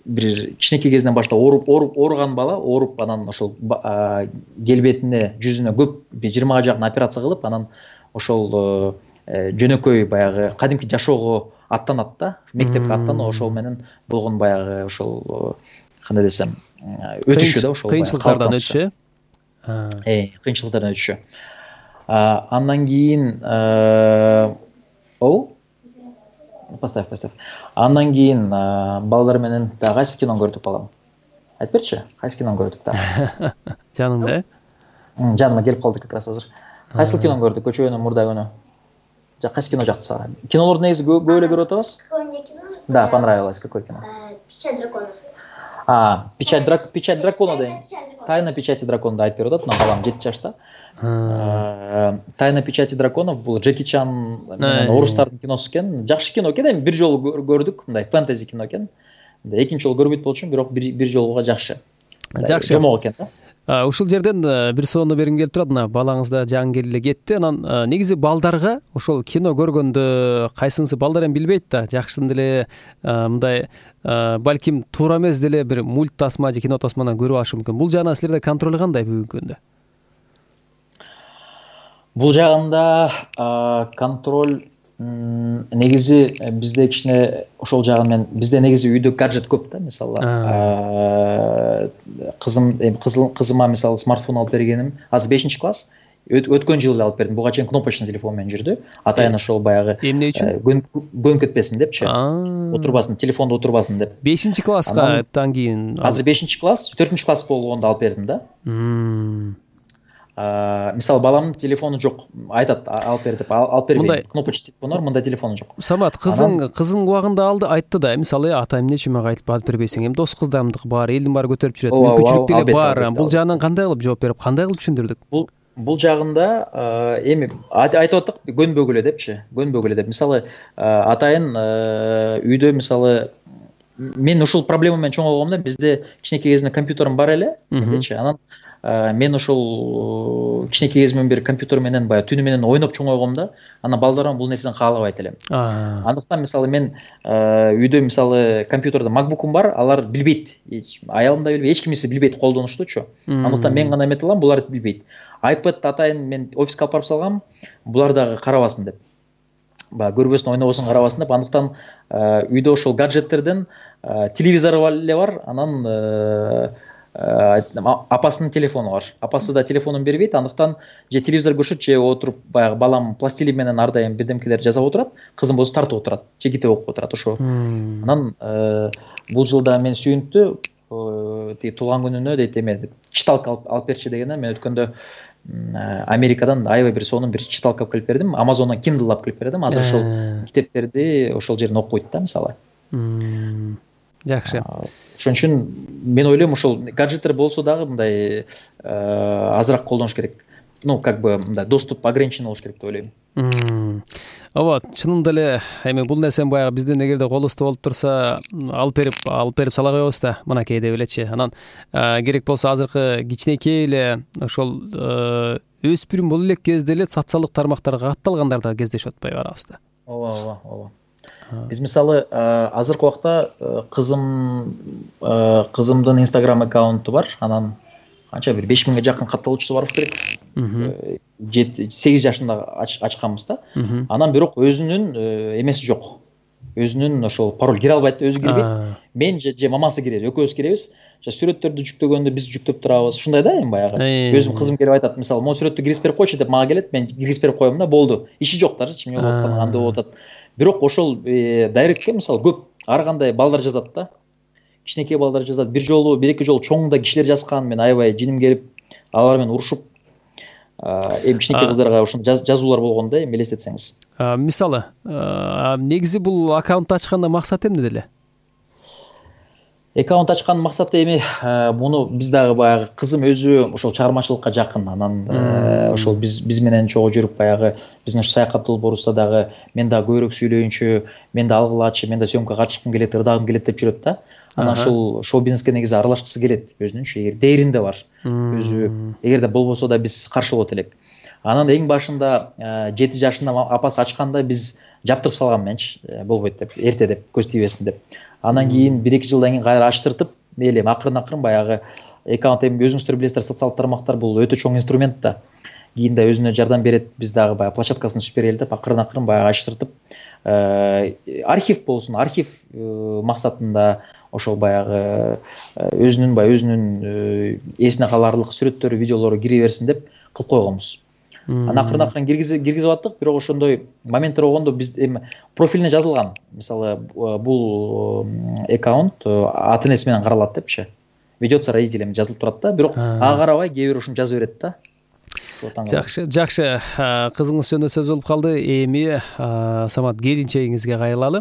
Бир кичинекей кезинен баштап ооруган бала, ооруп анан ошол келбетине, жүзүнө көп 20га жакын операция кылып, анан ошол жөнөкөй баягы кадимки жашоого аттанат да, мектепке аттанып, ошол менен болгон баягы ошол кандай десем, өтүшү да ошол кыйынчылыктардан өтүшү. Кыйынчылыктардан өтүшү. Андан кийин поставь. Андан кийин балдар менен да кайсы кино көрдүк балам? Айтып берчи, кайсы кино көрдүк да? Жаныңда? Жаныма келип калды как раз азыр. Кайсы кино көрдүк? Көчөгөнүн мурда күнү. Кайсы кино жакты сага? Кинолорду негизи көп эле көрүп атабыз? Да, понравилось. Какое кино? Печать дракона. Печать дракона деген. Тайна печати дракона айтып берип атат, мына балам 7 жашта. Тайна печати драконов бул Джеки Чан менен орустардын киносу экен. Жакшы кино экен, эми бир жолу көрдүк, мындай фэнтези кино экен. Экинчи жолу көрбөйт болчумун, бирок бир жолуга жакшы. Жакшы. Жомок экен да. Ушул жерден бир соону бергим келип турат. Мына балаңыз да жаңы эле кетти. Анан негизи балдарга ошол кино көргөндө кайсынысы балдар эми билбейт да, жакшысын деле мындай балким туура эмес деле бир мульт тасма же кино тасмадан көрүп алышы мүмкүн. Бул жагынан силерде контроль кандай бүгүнкү күндө? Бул жагында контроль негизи бизде кичине ошол жагын мен бизде негизи үйдө гаджет көп да, мисалы кызыма мисалы смартфон алып бергеним азыр 5-класс, өткөн жылы алып бердим. Буга чейин кнопочный телефон менен жүрдү. Атайын ошол баягы эмне үчүн? Көнүп кетпесин депчи. Отурбасын, телефондо отурбасын деп. 5-класска тан кийин азыр 5-класс, 4-класс болгондо алып бердим да. Мисалы баламдын телефону жок, айтат алып бер деп, алып бербейм. Кнопочный телефон бар, мында телефону жок. Самат, кызың убагында алды, айтты да, мисалы ата эмне үчүн мага айтып бербейсиң? Эми дос кыздарымдыкы бар, элдин баары көтөрүп жүрөт, мүмкүнчүлүк деле бар. Бул жагынан кандай кылып жооп берип, кандай кылып түшүндүрдүк? Бул жагында эми айтып аттык, көнбөгүлө депчи, көнбөгүлө деп. Мисалы атайын үйдө мисалы мен ушул проблема менен чоңойгомда, бизде кичинекей кезимде компьютерим бар эле, мендечи. Анан мен ошол кичинекей кезимден бери компьютер менен баягы түнү менен ойноп чоңойгомда, анан балдарым бул нерсени каалабайт элем. Андыктан мисалы мен үйдө мисалы компьютерде MacBook'ум бар, алар билбейт. Аялым да билбейт, эч кимиси билбейт колдонуштучу. Андыктан мен гана эмете алам, булар билбейт. iPad атайын мен офиска алып барып салгам, булар дагы карабасын деп. Баягы көрбөсүн, ойнобосун, карабасын деп. Андыктан үйдө ошол гаджеттерден телевизор эле бар, анан апасынын телефону бар. Апасы да телефонун бербейт, андыктан же телевизор көрүшөт, же отуруп баягы балам пластилин менен ар дайым бирдемкелер жасап отурат, кызым болсо тартып отурат, же китеп окуп отурат ошо. Анан бул жылда мен сүйүнүптү, тиги туулган күнүнө дейт эме читалка алып берчи дегенде, мен өткөндө Америкадан аябай бир сонун бир читалка алып келип бердим. Amazon'дан Kindle алып келип бердим. Азыр ошол китептерди ошол жерден окуйт да, мисалы. Жакшы. Ошон үчүн мен ойлойм ошол гаджеттер болсо дагы мындай азыраак колдонуш керек. Ну, как бы мындай доступ ограничен болуш керек деп ойлойм. Ооба, чынында эле эми бул нерсени баягы биздин эгерде колубузда болуп турса, алып берип сала коебуз да, мынакей деп элечи. Анан керек болсо азыркы кичинекей эле ошол өспүрүм боло элек кезде эле социалдык тармактарга катталгандар да кездешип атпайбы арабызда? Ооба. Биз мисалы азыркы убакта кызымдын Instagram аккаунту бар, анан канча бир 5000ге жакын катталуучусу бар керек. 8 жашында ачканбыз да. Анан бирок өзүнүн эмеси жок. Өзүнүн ошол пароль кире албайт, өзү кирбейт. Мен же мамасы кирет, экөөбүз киребиз. Сүрөттөрдү жүктөгөндө биз жүктөп турабыз. Ушундай да эми баягы. Өзүм кызым келип айтат, мисалы, "Mo сүрөттү киргизип берип койчу" деп мага келет, мен киргизип берип коем да, болду. Иши жок дажы, эмне болуп атканы, кандай болуп атат. Бирок ошол дайректке мисалы көп ар кандай балдар жазат да. Кичинекей балдар жазат. Бир жолу, бир эки жолу чоң да кишилер жазган, мен аябай жиним келип, алар менен урушуп эми кичинекей кыздарга ушундай жазуулар болгон да, эми элестетсеңиз. Мисалы, негизи бул аккаунт ачканда максат эмне деле? Аккаунт ачкандын максаты эми муну биз дагы баягы кызым өзү ошол чыгармачылыкка жакын, анан ошол биз менен чогуу жүрүп баягы биздин ушу саякат долбоорубузда дагы мен дагы көбүрөөк сүйлөйүнчү, мен да алгылачы, мен да съемкага катышкым келет, ырдагым келет деп жүрөт да. Анан ушул шоу бизнеске негизи аралашкысы келет өзүнүнчү, эгер дээринде бар. Өзү эгерде болбосо да биз каршы болот элек. Анан эң башында 7 жашында апасы ачканда биз жаптырып салган менчи, болбойт деп, эрте деп, көз тийбесин деп. Анан кийин 1-2 жылдан кийин кайра ачтыртып, мейли акырын баягы аккаунт, эми өзүңүздөр билесиздер, социалдык тармактар бул өтө чоң инструмент да. Кийин да өзүнө жардам берет, биз дагы баягы площадкасын түзүп берели деп акырын баягы ачтыртып, архив болсун, архив максатында ошол баягы өзүнүн эсине каларлык сүрөттөрү, видеолору кире берсин деп кылып койгонбуз. Анан акырын киргизип аттык, бирок ошондой моменттер болгондо биз эми профилине жазылган. Мисалы, бул аккаунт ата энеси менен каралат депчи. Ведется родителями жазылып турат да, бирок ага карабай кээ бир ушуну жаза берет да. Жакшы, кызыңыз жөнүндө сөз болуп калды. Эми Самат, келинчегиңизге кайрылалы.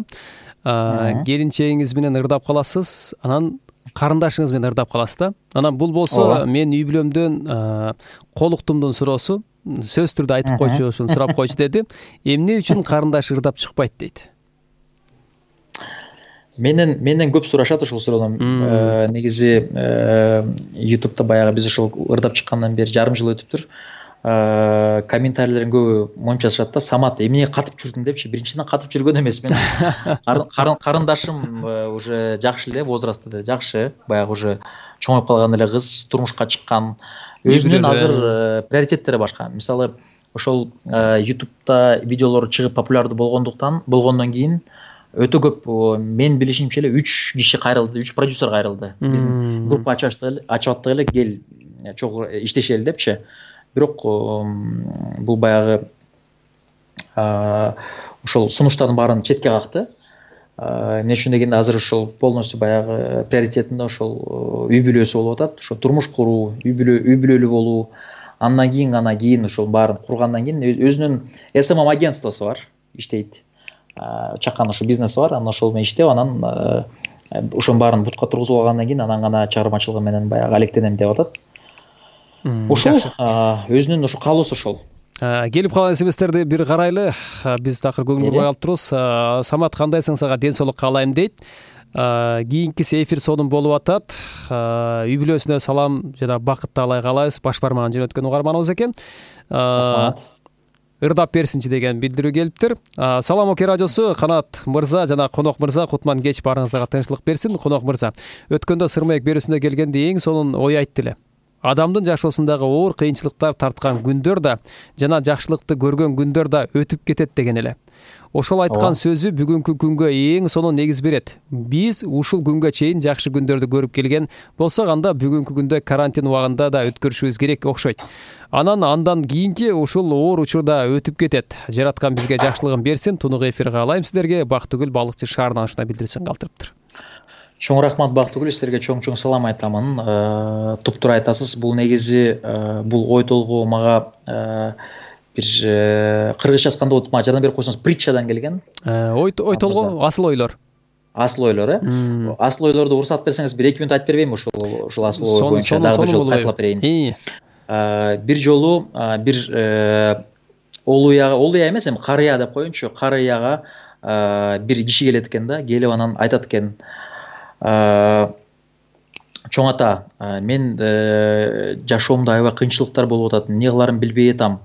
Келинчегиңиз менен ырдап каласыз, анан карындашыңыз менен ырдап каласыз да. Анан бул болсо мен үй бүлөмдөн колуктумдун суроосу, сөз түрдө айтып койчу, ушуну сурап койчу деди. Эмне үчүн карындаш ырдап чыкпайт дейт? Менден көп сурашат ушул суроону. Негизи YouTube'да баягы биз ушул ырдап чыккандан бери жарым жыл өтүптүр. Комментарийлердин көбү монча жазышат да, Самат, эмне катып жүрдүң депчи. Биринчиден катып жүргөн эмес мен. Карындашым уже жакшы эле возрастта, жакшы, баягы уже чоңоюп калган эле кыз, турмушка чыккан. Өзүнүн азыр приоритеттери башка. Мисалы, ошол YouTube'да видеолор чыгып популярдуу болгондон кийин өтө көп, мен билишимче эле 3 киши кайрылды, 3 продюсер кайрылды. Биздин группа ачып аттык эле, кел чогуу иштешели депчи. Бирок бул баягы ошол сунуштардын баарын четке какты. Эмне үчүн дегенде азыр ошол полностью баягы приоритетинде ошол үй бүлөсү болуп атат, ошо турмуш куруу, үй бүлөлүү болуу. Андан кийин ошол баарын кургандан кийин өзүнүн SMM агентствосу бар, иштейт. Чакан ошо бизнеси бар, анан ошол менен иштеп, анан ошонун баарын бутка тургузуп алгандан кийин анан гана чыгармачылыгы менен баягы алектенем деп атат. Ошол өзүнүн ошо каалоосу ошол. Келип калган смстерди бир карайлы. Биз такыр көңүл бурбай калып турубуз. Самат, кандайсың, сага ден соолук каалайм дейт. Кийинкиси эфир сонун болуп атат. Үй бүлөсүнө салам жана бакыт таалай каалайбыз. Баш бармагын жөнөткөн угарманыбыз экен. Ырдап берсинчи деген билдирүү келиптир. Салам Оке радиосу, Канат мырза жана Конок мырза, кутман кеч, баарыңыздарга тынчтык берсин. Конок мырза, өткөндө Сыр Маек берүүсүнө келгенде эң сонун ой айтты эле. Адамдын жашоосундагы оор кыйынчылыктар тарткан күндөр да жана жакшылыкты көргөн күндөр да өтүп кетет деген эле. Ошол айткан сөзү бүгүнкү күнгө эң сонун негиз берет. Биз ушул күнгө чейин жакшы күндөрдү көрүп келген болсок, анда бүгүнкү күндө карантин убагында да өткөрүшүбүз керек окшойт. Андан кийинки ушул оор учурда өтүп кетет. Жараткан бизге жакшылыгын берсин. Тунук эфир каалайм сиздерге. Бактыгүл Балыкчы шаарынан ушундай билдирүүсүн калтырыптыр. Чоң рахмат Бактыгүл, силерге чоң салам айтамын. Туптуура айтасыз. Бул негизи бул ой толгоо мага бир кыргызча айтканда болот, мага жардам берип койсоңуз, притчадан келген. Ой толгоо, асыл ойлор. Асыл ойлор, Асыл ойлорду уруксат берсеңиз бир 2 мүнөт айтып бербеймби ушул асыл ой боюнча дагы бир жолу кайталап берейин. Бир жолу бир олуя эмес, эми карыя деп коеюнчу, карыяга бир киши келет экен да, келип анан айтат экен: чоң ата, мен жашоомдо аябай кыйынчылыктар болуп атат, эмне кыларымды билбей атам.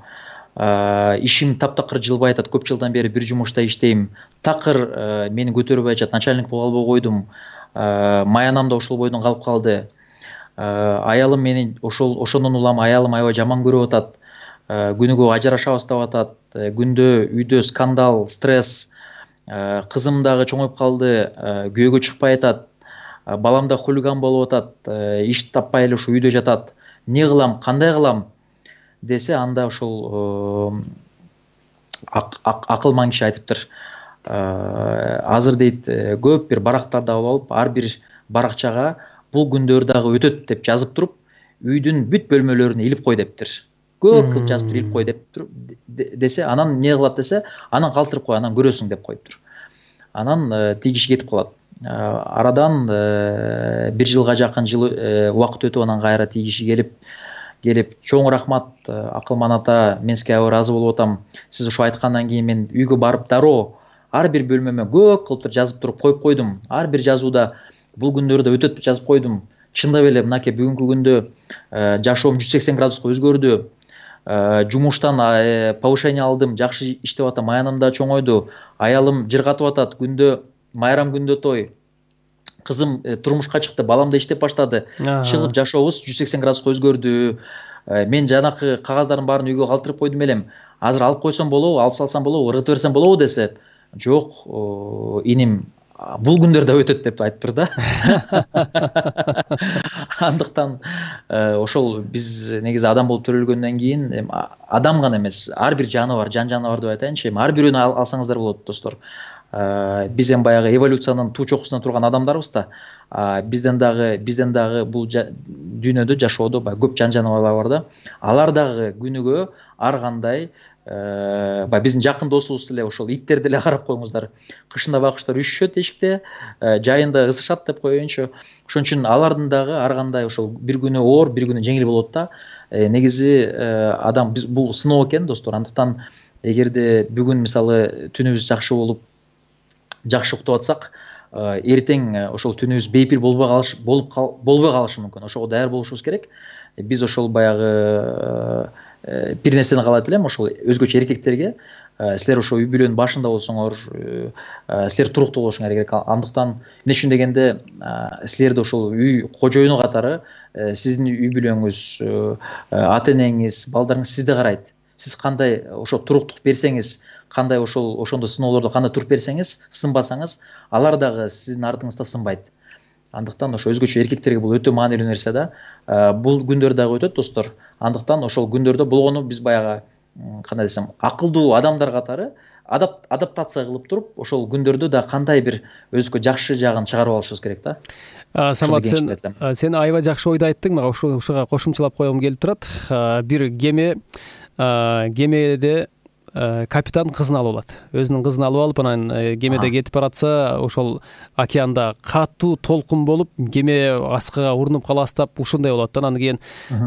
Ишим таптакыр жылбай атат, көп жылдан бери бир жумушта иштейм. Такыр мени көтөрбөй атат, начальник боло албай койдум. Маянам да ошол бойдон калып калды. Аялым мени ошондон улам аялым аябай жаман көрүп атат. Күнүгө ажырашабыз деп атат. Күндө үйдө скандал, стресс. Кызым дагы чоңоюп калды, күйөөгө чыкпай атат. Балам да хулиган болуп атат, иш таппай эле ушу үйдө жатат. Эмне кылам, кандай кылам десе, анда ошол акылман киши айтыптыр. Азыр дейт, көп бир барактарды алып, ар бир баракчага бул күндөр дагы өтөт деп жазып туруп, үйдүн бүт бөлмөлөрүнө илип кой дептир. көп жазып туруп илип кой деп десе, анан эмне кылат десе, анан калтырып кой, анан көрөсүң деп коюптур. Анан тиги кетип калат. Арадан 1 жылга жакын убакыт өтүп, анан кайра тиги келип чоң рахмат Акылман ата, мен сизге аябай ыраазы болуп атам. Сиз ошо айткандан кийин мен үйгө барып дароо ар бир бөлмөмө көп кылып жазып туруп коюп койдум. Ар бир жазууда бул күндөрдө өтөт жазып койдум. Чындап эле мынакей бүгүнкү күндө жашоом 180 градуска өзгөрдү. Жумуштан повышение алдым, жакшы иштеп атам, аяным да чоңойду. Аялым жыргатып атат, күндө майрам, күндө той. Кызым турмушка чыкты, балам да иштеп баштады. Чыгып жашообуз 180 градуска өзгөрдү. Мен жанакы кагаздардын баарын үйгө калтырып койдум элем. Азыр алып койсом болобу, алып салсам болобу, ыргытып берсем болобу десе, жок, иним, бул күндөр да өтөт деп айтыптыр да. Андыктан ошол биз негизи адам болуп төрөлгөндөн кийин адам гана эмес, ар бир жаныбар, жаныбар деп айтайынчы, ар бирөөнү алсаңыздар болот достор. Биз баягы эволюциянын туу чокусунда турган адамдарбыз да. Бизден дагы бул дүйнөдө жашоодо көп жаныбарлар бар да. Алар дагы күнүгө ар кандай биздин жакын досубуз эле ошол иттерди эле карап коюңуздар. Кышында байкуштар үшүшөт эшикте, жайында ысышат деп коеюнчу. Ошон үчүн алардын дагы ар кандай ошол бир күнү оор, бир күнү жеңил болот да. Негизи адам бул сыноо экен достор. Андыктан эгерде бүгүн мисалы түнүбүз жакшы болуп жакшы уктап атсак, эртең ошол түнүбүз бейпил болбой калышы мүмкүн. Ошого даяр болушубуз керек. Биз ошол баягы бир нерсени каалайт элем, ошол өзгөчө эркектерге, силер ошо үй бүлөнүн башында болсоңор, силер туруктуу болушуңар керек. Андыктан эмне үчүн дегенде, силерде ошол үй кожоюну катары сиздин үй бүлөңүз, ата энеңиз, балдарыңыз сизди карайт. Сиз кандай ошо туруктук берсеңиз, кандай ошондо сыноолордо кандай туруп берсеңиз, сынбасаңыз, алар дагы сиздин артыңызда сынбайт. Андыктан ошо өзгөчө эркектерге бул өтө маанилүү нерсе да. Бул күндөр дагы өтөт достор. Андыктан ошол күндөрдө болгону биз баягы кандай десем, акылдуу адамдар катары адаптация кылып туруп, ошол күндөрдө да кандай бир өзгө жакшы жагын чыгарып алышыбыз керек да. Самат, сен аябай жакшы ойду айттың. Мага ушуга кошумчалап койгум келип турат. Бир кемеде капитан кызын алып алат. Өзүнүн кызын алып алып, анан кемеде кетип баратса, ошол океанда катуу толкун болуп, кеме аскыга урунуп каластап, ушундай болот. Анан кийин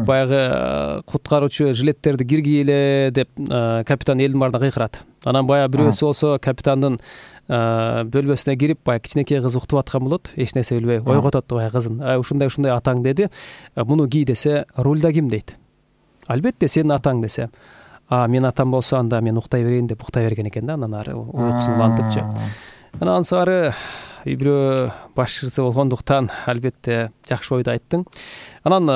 баягы куткаруучу жилеттерди киргийле деп капитан элдин баарына кыйкырат. Анан баягы бирөөсү болсо капитандын бөлмөсүнө кирип, баягы кичинекей кыз уктуп аткан болот, эч нерсе билбей, ойготот баягы кызын. Ушундай атаң деди. Муну кий десе, рульда ким дейт? Албетте сенин атаң десе. Мен атам болсо, анда мен уктай берейин деп уктай берген экен да. Анан ары уйкусун улантыпчы. Анан ары үй бүлө башчысы болгондуктан албетте жакшы ойду айттың. Анан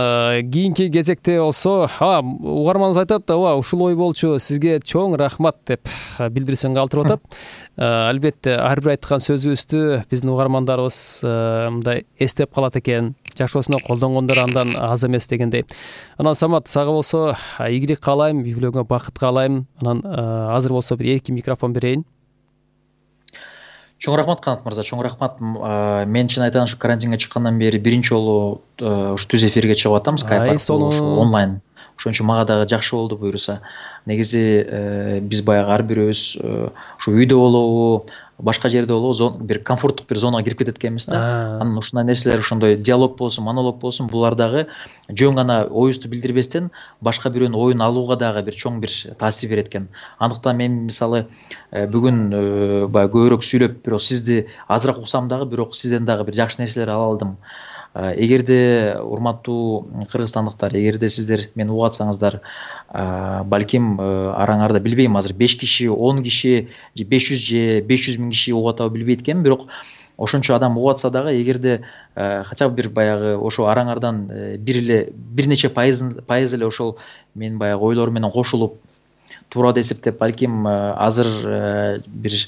кийинки кезекте болсо, угарманыбыз айтат, ушул ой болчу, сизге чоң рахмат деп билдирүүсүн калтырып атат. Албетте ар бир айткан сөзүбүздү биздин угармандарыбыз мындай эстеп калат экен. Жашоосуна колдонгондор андан аз эмес дегендей. Анан Самат, сага болсо ийгилик каалайм, үй бүлөңө бакыт каалайм. Анан азыр болсо бир эркин микрофон берейин. Чоң рахмат Канат мырза, чоң рахмат. Мен чын айтайын, ушу карантинге чыккандан бери биринчи жолу ушу түз эфирге чыгып атам, Skype аркылуу, онлайн. Ошон үчүн мага дагы жакшы болду буюрса. Негизи биз баягы ар бирөөбүз ушу үйдө болобу, башка жерде болобу, бир комфорттук бир зонага кирип кетет экенбиз да. Анан ушундай нерселер, ошондой диалог болсун, монолог болсун, булар дагы жөн гана оюбузду билдирбестен башка бирөөнүн оюн алууга дагы бир чоң бир таасир берет экен. Андыктан мен мисалы бүгүн баягы көбүрөөк сүйлөп, бирок сизди азыраак уксам дагы, бирок сизден дагы бир жакшы нерселер ала алдым. Эгерде урматтуу кыргызстандыктар, эгерде сиздер мени угуп атсаңыздар, балким араңарда билбейм, азыр 5 киши, 10 киши, 500 же 500 миң киши угуп атабы билбейт экенмин, бирок ошончо адам угуп атса дагы, эгерде хотя бы бир баягы ошо араңардан бир нече пайыз эле ошол мен баягы ойлорум менен кошулуп туура эсептеп, балким азыр бир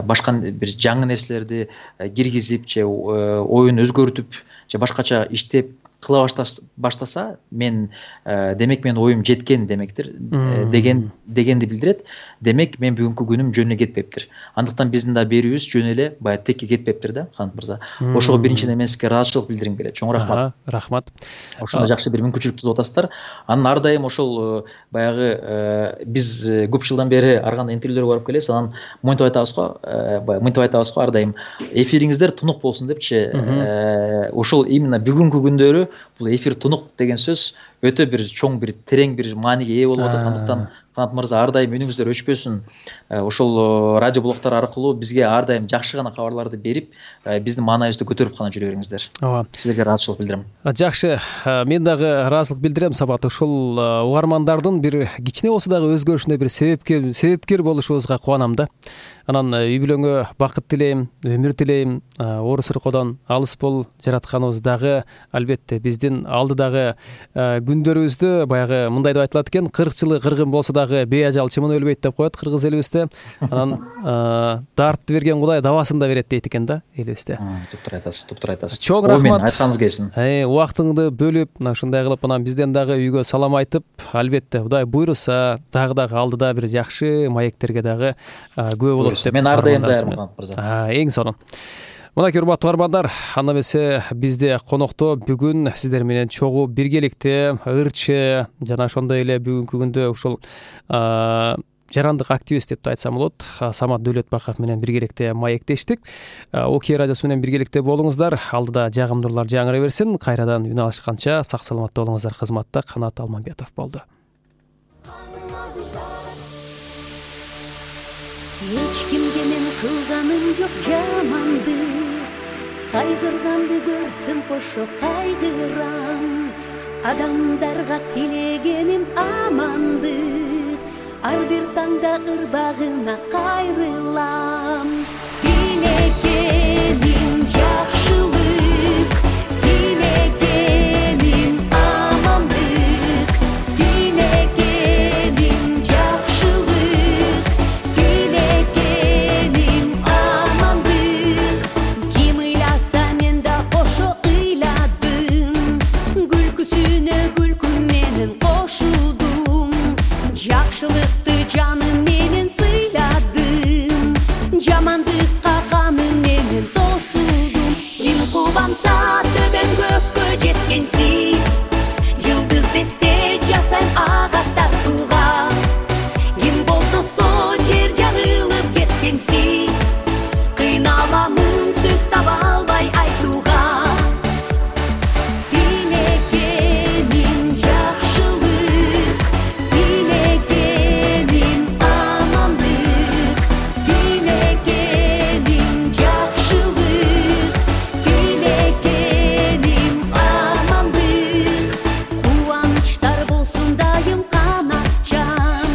башка бир жаңы нерселерди киргизип же оюн өзгөртүп же башкача иштеп кыла баштаса мен демек менин оюм жеткен демектир дегенди билдирет. Демек мен бүгүнкү күнүм жөн эле кетпептир. Андыктан биздин да берүүбүз жөн эле баягы текке кетпептир да, Канат мырза. Ошого биринчиден мен сизге ыраазычылык билдиргим келет. Чоң рахмат. Рахмат. Ошондой жакшы бир мүмкүнчүлүк түзүп атасыздар. Анан ар дайым ошол баягы биз көп жылдан бери ар кандай интервьюлөргө барып келебиз. Анан монтип айтабыз го ар дайым эфириңиздер тунук болсун депчи. Ошол именно бүгүнкү күндөрү бул эфир тунук деген сөз өтө бир чоң, бир терең бир мааниге ээ болуп атат. Андыктан Канат мырза ар дайым үнүңүздөр өчпөсүн. Ошол радио блогдор аркылуу бизге ар дайым жакшы гана кабарларды берип, биздин маанайыбызды көтөрүп гана жүрө бериңиздер. Ооба. Сиздерге ыраазычылык билдирем. Жакшы, мен дагы ыраазычылык билдирем Самат. Ошол угармандардын бир кичине болсо дагы өзгөрүшүнө бир себепкер болушубузга кубанам да. Анан үй бүлөңө бакыт тилейм, өмүр тилейм. Орус ыркоодон алыс бол, жаратканыбыз дагы албетте биздин алдыдагы күндөрүбүздү баягы мындай деп айтылат экен, 40 жылы кыргын болсо дагы бейажал чымын өлбөйт деп коет кыргыз элибизде. Анан дартты берген Кудай дабасын да берет дейт экен да элибизде. Туптур айтасыз. Чоң рахмат. Айтканыңыз келсин. Убактыңды бөлүп, мына ушундай кылып анан бизден дагы үйгө салам айтып, албетте Кудай буйруса дагы алдыда бир жакшы маектерге дагы күбө болот деп. Мен ар дайым даярмын, мырза. Эң сонун. Мынакей урматтуу угармандар, анда эмесе бизде конокто бүгүн сиздер менен чогуу биргеликте ырчы жана ошондой эле бүгүнкү күндө ушул жарандык активист деп айтсам болот, Самат Дөөлөтбаков менен биргеликте маектештик. Окей радиосу менен биргеликте болуңуздар. Алдыда жагымдуулар жаңыра берсин. Кайрадан үн алышканча сак саламатта болуңуздар. Кызматта Канат Алмамбетов болду. Эч кимге мен кылганым жок жамандык, кайгырганды көрсөм кошо кайгырам. Адамдарга тилегеним амандык, ар бир таңда ырбагына кайрылам. Тилегеним жакшылык, тилегеним амандык, тилегеним жакшылык, тилегеним амандык. Ким ыйласа мен да ошо ыйладым, күлкүсүнө күлкү менен кошулдум. Жакшылыкты жаным менен сыйладым, жамандыкка каным менен тосулдум. Ким кубанса төбөң көккө жеткенсиң, жылдыз десте жасайм ага тартууга. Ким болсо жер жарылып кеткенсиң, кыйналамын сөз таба албай айтууга. Тилегеним жакшылык, тилегеним амандык, тилегеним жакшылык, тилегеним амандык. Кубанычтар болсун дайым канатчан,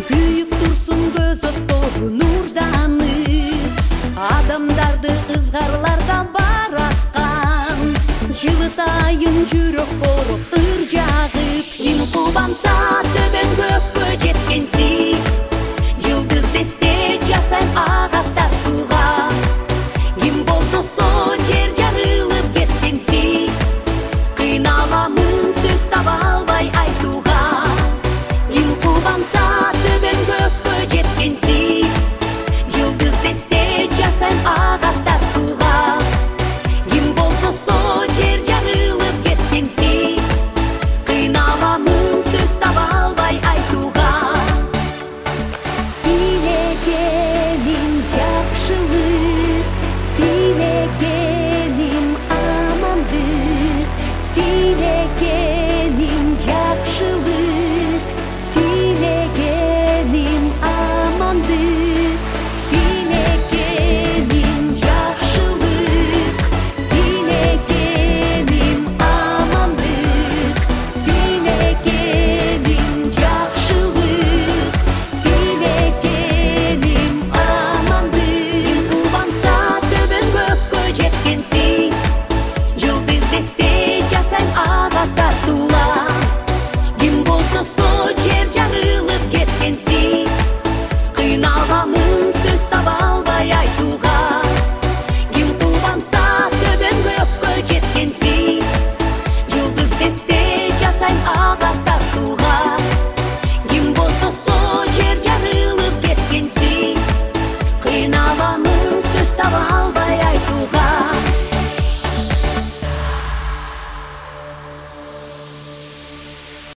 күйүп турсун көз оттору нурданып. Адамдарды ызгарлардан бараткан, жылытайын жүрөк короп ыр жагып. Ким кубанса төбөң көккө жеткенсиң,